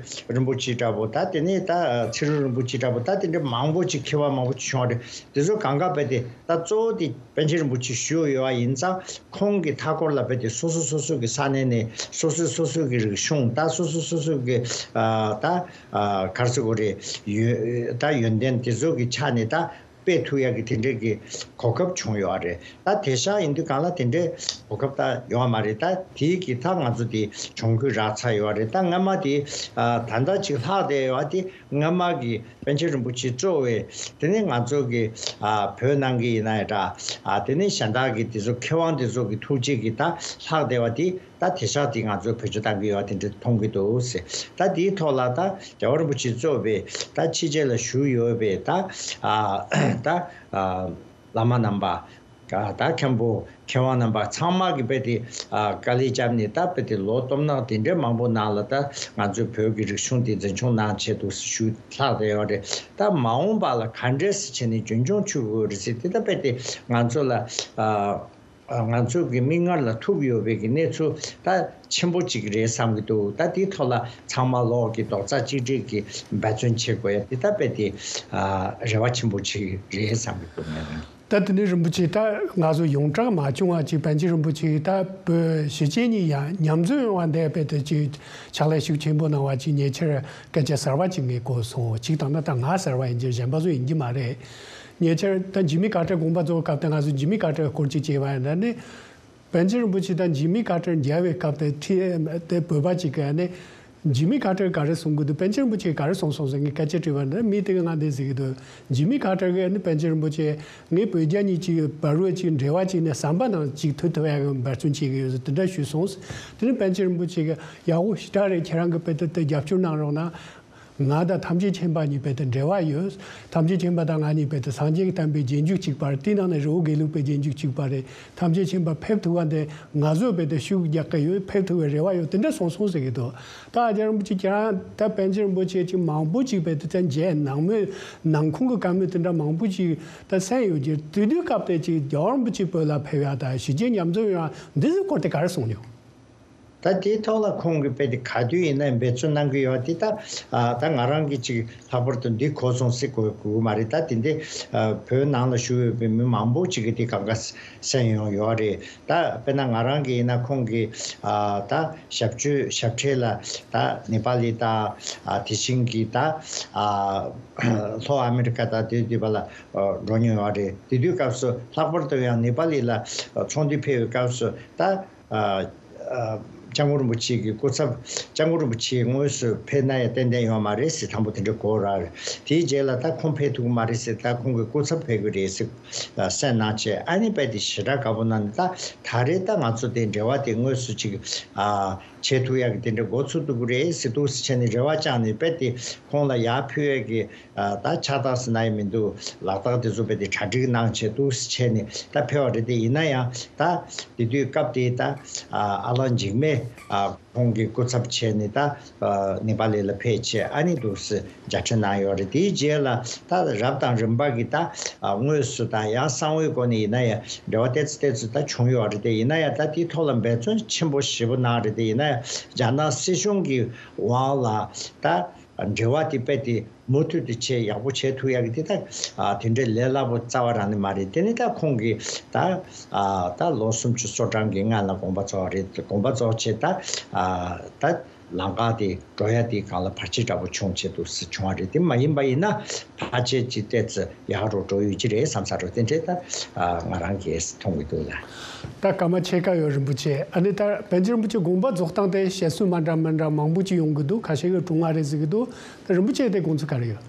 རིན་པོ་ཆེ་འདྲ་པོ། ད་དེ་ནས་ད་ཚེ་རིང་རིན་པོ་ཆེ་འདྲ་པོ། ད་དེ་འདྲ་མང་པོ་ཅིག་མཁས་པ་མང་པོ་ཅིག་བྱུང་བ་རེད། དེ་ཚོ་གང་ག་དཔེ་དེ་ད་གཙོ་བོ་དེ་པཎ་ཆེན་རིན་པོ་ཆེ་བཞུགས་ཡོད་པ་ཡིན་ཙང་། ཁོང་གི་མཐའ་འཁོར་ལ་དཔེ་དེ་སོ་སོ་སོ་སོ་གི་ས་གནས་ནས་སོ་སོ་སོ་སོ་གི་རིག་གཞུང་། ད་སོ་སོ་སོ་སོ་གི་ཨ་ད་ཨ་ག་རེ་ཟེར་དགོས་རེད། ཡོན་ད་ཡོན་ཏན་དེ་ཚོ་གི་ཆ་ནས་ད་སྤེལ་ཐུབ་ཡག་གི་དེ་འདྲས་ཀྱི་གོ་སྐབས་བྱུང་ཡོད་རེད། ད་དེང་སང་ཡིན་དུས་གང་ལ་དེ་འདྲའི་གོ་སྐབས་ད་ཡོད་མ་རེད། ད་དེའི་གི་ད་ང་ཚོ་དེ་གྱོང་གུད་རག་ཚར་ཡོད་རེད། ད་སྔ་མ་དེ་ཨ་ད་ལྟ་ཅིག་ལྷག་བསྡད་ཡོད་དེ། སྔ་མ་གི་པཎ་ཆེན་རིན་པོ་ཆེ་གཙོ་བའི་དེ་ནས་ང་ཚོ་གི་ཨ་བོད་ནང་གི་ཡིན་ན་ཡང་འདྲ། ཨ་དེ་ནས་གཞན་དག་གི་དེ་ཚོ་མཁས་དབང་དེ་ཚོ་གི་ཐུགས་རྗེ་གི་ད་ལྷག་བསྡད་པ་དེ། ད་དེང་སང་དེ་ང་ཚོས་བེད་སྤྱོད་བཏང་གི་ཡོད་དེ་འདྲ་མཐོང་གི་འདུག་ཟེར། ད་དེའི་ཐོག་ལ་ད་རྒྱལ་བ་རིན་པོ་ཆེ་གཙོས་པའི་ད་ཕྱི་རྒྱལ་ལ་བཞུགས་ཡོད་པའི་ད་ཨ་ད་ཨ་བླ་མ་རྣམ་པ། ད་མཁན་པོ་མཁས་དབང་རྣམ་པ་ཚང་མ་གི་དཔེ་དེ་ཨ་དཀའ་ལས་བརྒྱབ་ནས། ད་དཔེ་དེ་ལོ་སྟོང་ཕྲག་དེ་འདྲའི་མང་པོ་ནང་ལ་ད་ང་ཚོའི་བོད་ཀྱི་རིག་གཞུང་དེ་འཛིན་སྐྱོང་གནང་ཆེད་དུ་ཞུ་ལྷག་བསྡད་ཡོད་རེད། ད་མ་འོངས་པ་ལ་ག་འདྲས་སེ་བྱས་ནས་རྒྱུན་འཁྱོངས་བྱེད་དགོས་རེད་ཟེར་དེ། ད་དཔེ་དེ་ང་ཚོ་ལ་ཨ། ང་ཚོ་གི་མིག་སྔར་ལ་ཐུག་ཡོད་པའི་གི་གནས་ཚུལ་ད་ཆེན་པོ་གཅིག་རེད་བསམ་གྱི་འདུག་ད་དེའི་ཐོག་ལ་ཚང་མ་ལོག་གི་རྡོག་རྩ་གཅིག་སྒྲིལ་གྱིས་འབད་བརྩོན་བྱེད་དགོས་ཡ་དེ་ད་དཔེ་དེ་ཨ་རེ་བ་ཆེན་པོ་གཅིག་རེད་བསམ་གྱི་འདུག་ངས། ད་དེ་ནས་རིན་པོ་ཆེ་ད་ང་ཚོ་ཡོངས་གྲགས་མ་བྱུང་བ་ཅིག་པཎ་ཆེན་རིན་པོ་ཆེ་ད་བོད་གཞིས་བྱེས་གཉིས་ཡང་མཉམ་འཛོམས་ཡོང་བ་འདས་པའི་དུ་ཅིག་ཕྱག་ལས་ཤུགས་ཆེན་པོ་གནང་བ་ཅིག་ཉེ་ཆར་སྐད་ཆ་གསར་བ་ཅིག་ངས་གོ་སོང་། ཅིག་དང་ན་ད་ང་གསར་བ་ཡིན་གྱི་གཞན་པ་ཚོ་ཡིན་གྱི་མ་རེད། ཉེ་ཆར་ད་འཇིགས་མེད་ཀར་ཊར་དགོངས་པ་རྫོགས་སྐབས་དེ་ང་ཚོ་འཇིགས་མེད་ཀར་ཊར་སྐོར་ཅིག་བྱས་པ་ཡིན་ན་ནི། པཎ་ཆེན་རིན་པོ་ཆེ་དང་འཇིགས་མེད་ཀར་ཊར་མཇལ་བའི་སྐབས་དེ་ཁྲིད་དེ་བོད་པ་ཅིག་གིས་ནི། འཇིགས་མེད་ཀར་ཊར་ག་རེ་གསུང་གི་འདུག་པཎ་ཆེན་རིན་པོ་ཆེས་ག་རེ་གསུངས་སོང་ཟེར་ངས་སྐད་ཆ་དྲིས་པ་ན། མི་དེ་གིས་ང་འདི་ཟེར་གི་འདུག་འཇིགས་མེད་ཀར་ཊར་གིས་ནི་པཎ་ཆེན་རིན་པོ་ཆེ་ངས་བོད་རྒྱ་གཉིས་ཀྱི་བར་དུ་ཅིག་འབྲེལ་བ་ཅིག་ནས་ཟམ་པ་ནང་ཅིག་ཐུག་ཐུབ་ཡག་གི་འབད་བརྩོན་བྱེད་ཀྱི་ཡོད་ཟེར་དེ་འདྲ་ཞུས་སོང་། དེ་ནི་པཎ་ཆེན་རིན་པོ་ཆེ་གིས་ཡག་པོ་ཞེ་དྲག་རེད། ཁྱེད་རང་གིས་དཔེ་དེ་དེ་རྒྱབ་སྐྱོར་གནང་རོགས་གནང་། ང་དང་ཐམས་ཅད་མཁྱེན་པ་གཉིས་དཔེ་དེ་འབྲེལ་བ་ཡོད། ཐམས་ཅད་མཁྱེན་པ་དང་ང་གཉིས་དཔེ་དེ་སངས་རྒྱས་ཀྱི་བསྟན་པའི་རྗེས་འཇུག་གཅིག་པ་རེད། དེའི་ནང་ནས་རི་བོ་དགེ་ལུགས་པའི་རྗེས་འཇུག་གཅིག་པ་རེད། ཐམས་ཅད་མཁྱེན་པ་ཕེབས་ཐུབ་པ་འདི་ང་ཚོས་དཔེ་དེ་ཤུགས་རྒྱག་གི་ཡོད། ཕེབས་ཐུབ་པའི་རེ་བ་ཡོད། དེ་འདྲ་གསུངས་སོང་ཟེར་གྱི་འདུག་ད་རྒྱལ་བ་རིན་པོ་ཆེ་ཁྱེད་རང་ད་པཎ་ཆེན་རིན་པོ་ཆེ་ཅིག་མང་པོ་ཅིག་དཔེ་དེ་ད་མཇལ། ནང་མོལ་ནང་ཁུངས་ཀྱི་བཀའ་མོལ་དེ་འདྲ་མང་པོ་ཅིག་ད་གསན་ཡོད་ཀྱི། དེ་དུས་སྐབས་དེ་ཅིག་རྒྱལ་བ་རིན་པོ་ཆེ་བོད་ལ་ཕེབས་ཡག་དང་གཞིས་བྱེས་མཉམ་འཛོམས་ཡོང་ཡག་འདི་ཚོའི་སྐོར་དེ་ག་རེ་གསུངས་མྱོང་། ད་དེའི་ཐོག་ལ་ཁོང་གིས་དཔེ་དེ་ག་དུས་ཡིན་ན་འབད་བརྩོན་གནང་གི་ཡོད་དེ། ད་ཨ་ད་ང་རང་གིས་ཅིག་ལྷག་པར་དུ་འདི་གོ་སོང་ཟེར་དགོས་དགོས་མ་རེད། ད་དེ་འདི་ཨ་བོད་ནང་ལ་བཞུགས་ཡོད་པའི་མི་མང་པོ་ཅིག་གིས་དེ་གང་ག་གསན་ཡོང་ཡོད་རེད། ད་དཔེར་ན་ང་རང་གིས་ཡིན་ན་ཁོང་གི་ཨ་ད་ཞབས་ཕྱི་ཞབས་ཁྲིད་ལ་ད་ནེ་པ་ལི་དང་ཨ་དེ་བཞིན་གྱི་ད་ཨ་ལྷོ་ཨ་མི་རི་ཀ་དང་དེ་དུས་པ་ལ་ཨ་འགྲོ་མྱོང་ཡོད་རེད། དེ་དུས་སྐབས་སུ་ལྷག་པར་དུ་ཡང་ནེ་པ་ལི་ལ་ཚོགས་འདུ་ཕེབས་པའི་སྐབས་སུ་ད། ཨ་ཨ་སྐྱབས་མགོན་རིན་པོ་ཆེ་གི་སྐུ་ཚབ། སྐྱབས་མགོན་རིན་པོ་ཆེ་དངོས་སུ་ཕེབས་ན་ཡང་ཏན་ཏན་ཡོད་མ་རེད་ཟེར། དང་པོ་དེ་འདྲ་གོ་ར། དེའི་རྗེས་ལ་ད་ཁོང་ཕེབས་ཐུབ་ཀྱི་མ་རེད་ཟེར། ད་ཁོང་གི་སྐུ་ཚབ་ཕེབས་ཀྱི་རེད་ཟེར་གསན་གནང་བྱས། ཨ་ནི་དཔེ་དེ་ཞེ་དྲག་དགའ་པོ་གནང་ནས། ད་ད་རེས་ད་ང་ཚོ་དེ་འབྲེལ་བ་དེ་དངོས་སུ་ཅིག་ཨ་བྱེད་ཐུབ་ཡག་གི་དེ་འདྲ་འགོ་ཚུགས་ཐུབ་ཀྱི་རེད་ཟེར་འདུག་ཟེར་བྱས་ནས་རེ་བ་བཅངས་ནས། དཔེ་དེ་ཁོང་ལ་ཡར་ཕུལ་ཡག་གི་ཨ་ད་ཕྱག་རྟགས་ཟེར་ན་ཡང་མི་འདུག་ལག་རྟགས་དེ་ཚོ་དཔེ་དེ་གྲ་སྒྲིག་གནང་བྱས་འདུག་ཟེར་བྱས་ནས་ད་ཕེབས་པ་རེད། དེ་ཡིན་ན་ཡང་ད་དེ་དུས་སྐབས་དེ་ད་ཨ་ཨ་ལགས་འཇིགས་མེད་ཨ་ཁོང་གི་སྐུ་ཚབ་བྱས་ནས་ད་ཨ་ནེ་པ་ལི་ལ་ཕེབས་བྱས། ཨ་ནི་འདུག་སེ་མཇལ་འཕྲད་གནང་ཡོད་རེད། དེའི་རྗེས་ལ་ད་རབས་དང་རིམ་པ་གི་ད་ཨ་དངོས་སུ་དང་ཡང་གསང་བའི་སྒོ་ནས་ཡིན་ན་ཡང་འབྲེལ་བ་ཏོག་ཙམ་ཏོག་ཙམ་ད་བྱུང་ཡོད་རེད། དེ་ཡིན་ན་ཡང་ད་དེའི་ཐོག་ལ་འབད་བརྩོན་ཆེན་པོ་ཞེ་པོ་གནང་རེད། དེ་ཡིན་ན་ཡང་རྒྱ་ནག་སྲིད་གཞུང་གི་དབང་ལ་ད་འབྲེལ་བ་དེ་དཔེ་དེ་མུ་མཐུད་དུ་བྱས་ཡག་པོ་བྱས་ཐུབ་ཡག་གི་དེ་ད་ཨ་དེ་འདྲའི་ལས་སླ་པོ་རྩ་བ་རང་ནས་མ་རེད། དེ་ནི་ད་ཁོང་གིས་ད་ཨ་ད་ལོ་སུམ་ཅུ་སོ་གྲངས་ཀྱི་སྔ་ལ་དགོངས་པ་རྫོགས་རེད། དགོངས་པ་རྫོགས་བྱས་ད་ཨ་ད་ལམ་ཁ་དེ་འགྲོ་ཡ་དེ་སྒང་ལ་བར་ཆད་འདྲ་པོ་བྱུང་བྱས་འདུག་སེ་བྱུང་བ་རེད། དེ་མ་ཡིན་པ་ཡིན་ན་ཕལ་ཆེར་ཅིག་ཏོག་ཙམ་ཡག་རུ་འགྲོ་ཡོད་ཀྱི་རེད་བསམ་ས་རུ་དེ་འདྲའི་ད་ཨ་ང་རང་གིས་མཐོང་གི་འདུག་ལ། ད་སྐར་མ་ཕྱེད་ཀ་ཡོད། རིན་པོ་ཆེ། ཨ་ནི་ད་པཎ་ཆེན་རིན་པོ་ཆེ་དགོངས་པ་རྫོགས་སྟངས་དེ་བཤད་སྲོལ་མ་འདྲ་མི་འདྲ་མང་པོ་ཅིག་ཡོང་གི་འདུག་ཁ་ཤས་ཀྱིས་དྲུང་ང་རེད་ཟེར་གི་འདུག་ད་རིན་པོ་ཆེ་དེ་དགོངས་ཚུལ་ག་རེ་ཡོད།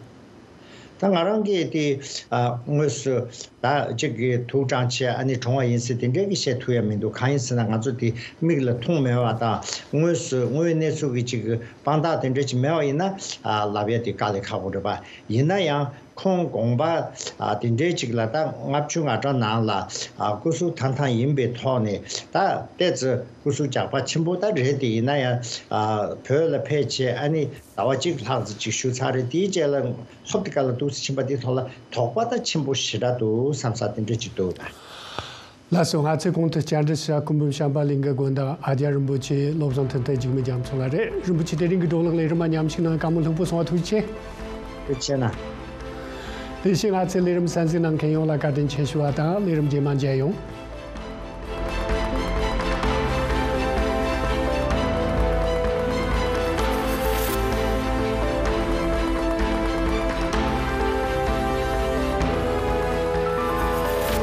ད་ང་རང་གིས་དེ་ཨ་དངོས་སུ་ད་གཅིག་གི་ཐུགས་དྲང་ཆེ་ཨ་ནི་དྲུང་བ་ཡིན་ཟེར་དེ་འདྲའི་གི་བཤད་ཐུབ་ཡ་མི་འདུག་གང་ཡིན་ཟེར་ན་ང་ཚོ་དེ་མིག་ལ་མཐོང་མེད་པ་དང་། དངོས་སུ་དངོས་གནས་ཚུལ་གྱི་ཅིག་དཔང་རྟགས་དེ་འདྲ་ཅིག་མེད་པ་ཡིན་ན་ཨ་ལབ་ཡ་དེ་དཀའ་ལས་ཁག་པོ་རེད་པ། ཡིན་ན་ཡང་ ཁོང་དགོངས་པ་ཨ་དེ་འདྲའི་ཅིག་ལ་ད་ལྔ་བཅུ་ང་གྲངས་ནང་ལ་ཨ་སྐུ་གཟུགས་ཐང་ཐང་ཡིན་པའི་ཐོག་ནས་ད་ཏོག་ཙམ་སྐུ་གཟུགས་རྒྱགས་པ་ཆེན་པོ་ད་རེད་དེ། ཡིན་ན་ཡང་ཨ་བོད་ལ་ཕེབས་བྱས་ཨ་ནི་ཟླ་བ་གཅིག་ལྷག་ཙམ་ཅིག་བཞུགས་ཚར་རེད། དེའི་རྗེས་ལ་ཧོབ་ཏེ་ག་ལ་འདུག་སེ་ཕྱིན་པ་དེའི་ཐོག་ལ་དོགས་པ་ད་ཆེན་པོ་ཞེ་དྲག་འདུག་བསམ་ས་དེ་འདྲ་ཅིག་འདུག་ད། ལགས་སོ། ང་ཚོས་གོང་དུ་བཅར་འདྲི་ཞུ་སྐུ་འབུམ་བྱམས་པ་གླིང་གི་དགོན་བདག་ཨ་ཙརྱ་རིན་པོ་ཆེ་བློ་བཟང་ཐུབ་བསྟན་འཇིགས་མེད་རྒྱ་མཚོ་ལགས་རེད། རིན་པོ་ཆེ་དེ་རིང་གི་བགྲོ་གླེང་ལས་རིམ་མ་ཉམས་ཞིག་གནང་། བཀའ་མོལ་ལྷུག་པོ་གསུང་བ། ཐུགས་རྗེ་ཆེ། ཐུགས་རྗེ་ཆེ་གནང་། དེ་བཞིན་ང་ཚོའི་ལས་རིམ་གསན་གཟིགས་གནང་མཁན་ཡོངས་ལ་བཀའ་དྲིན་ཆེ་ཞུ་བ་དང་། ལས་རིམ་རྗེས་མ་མཇལ་ཡོང་།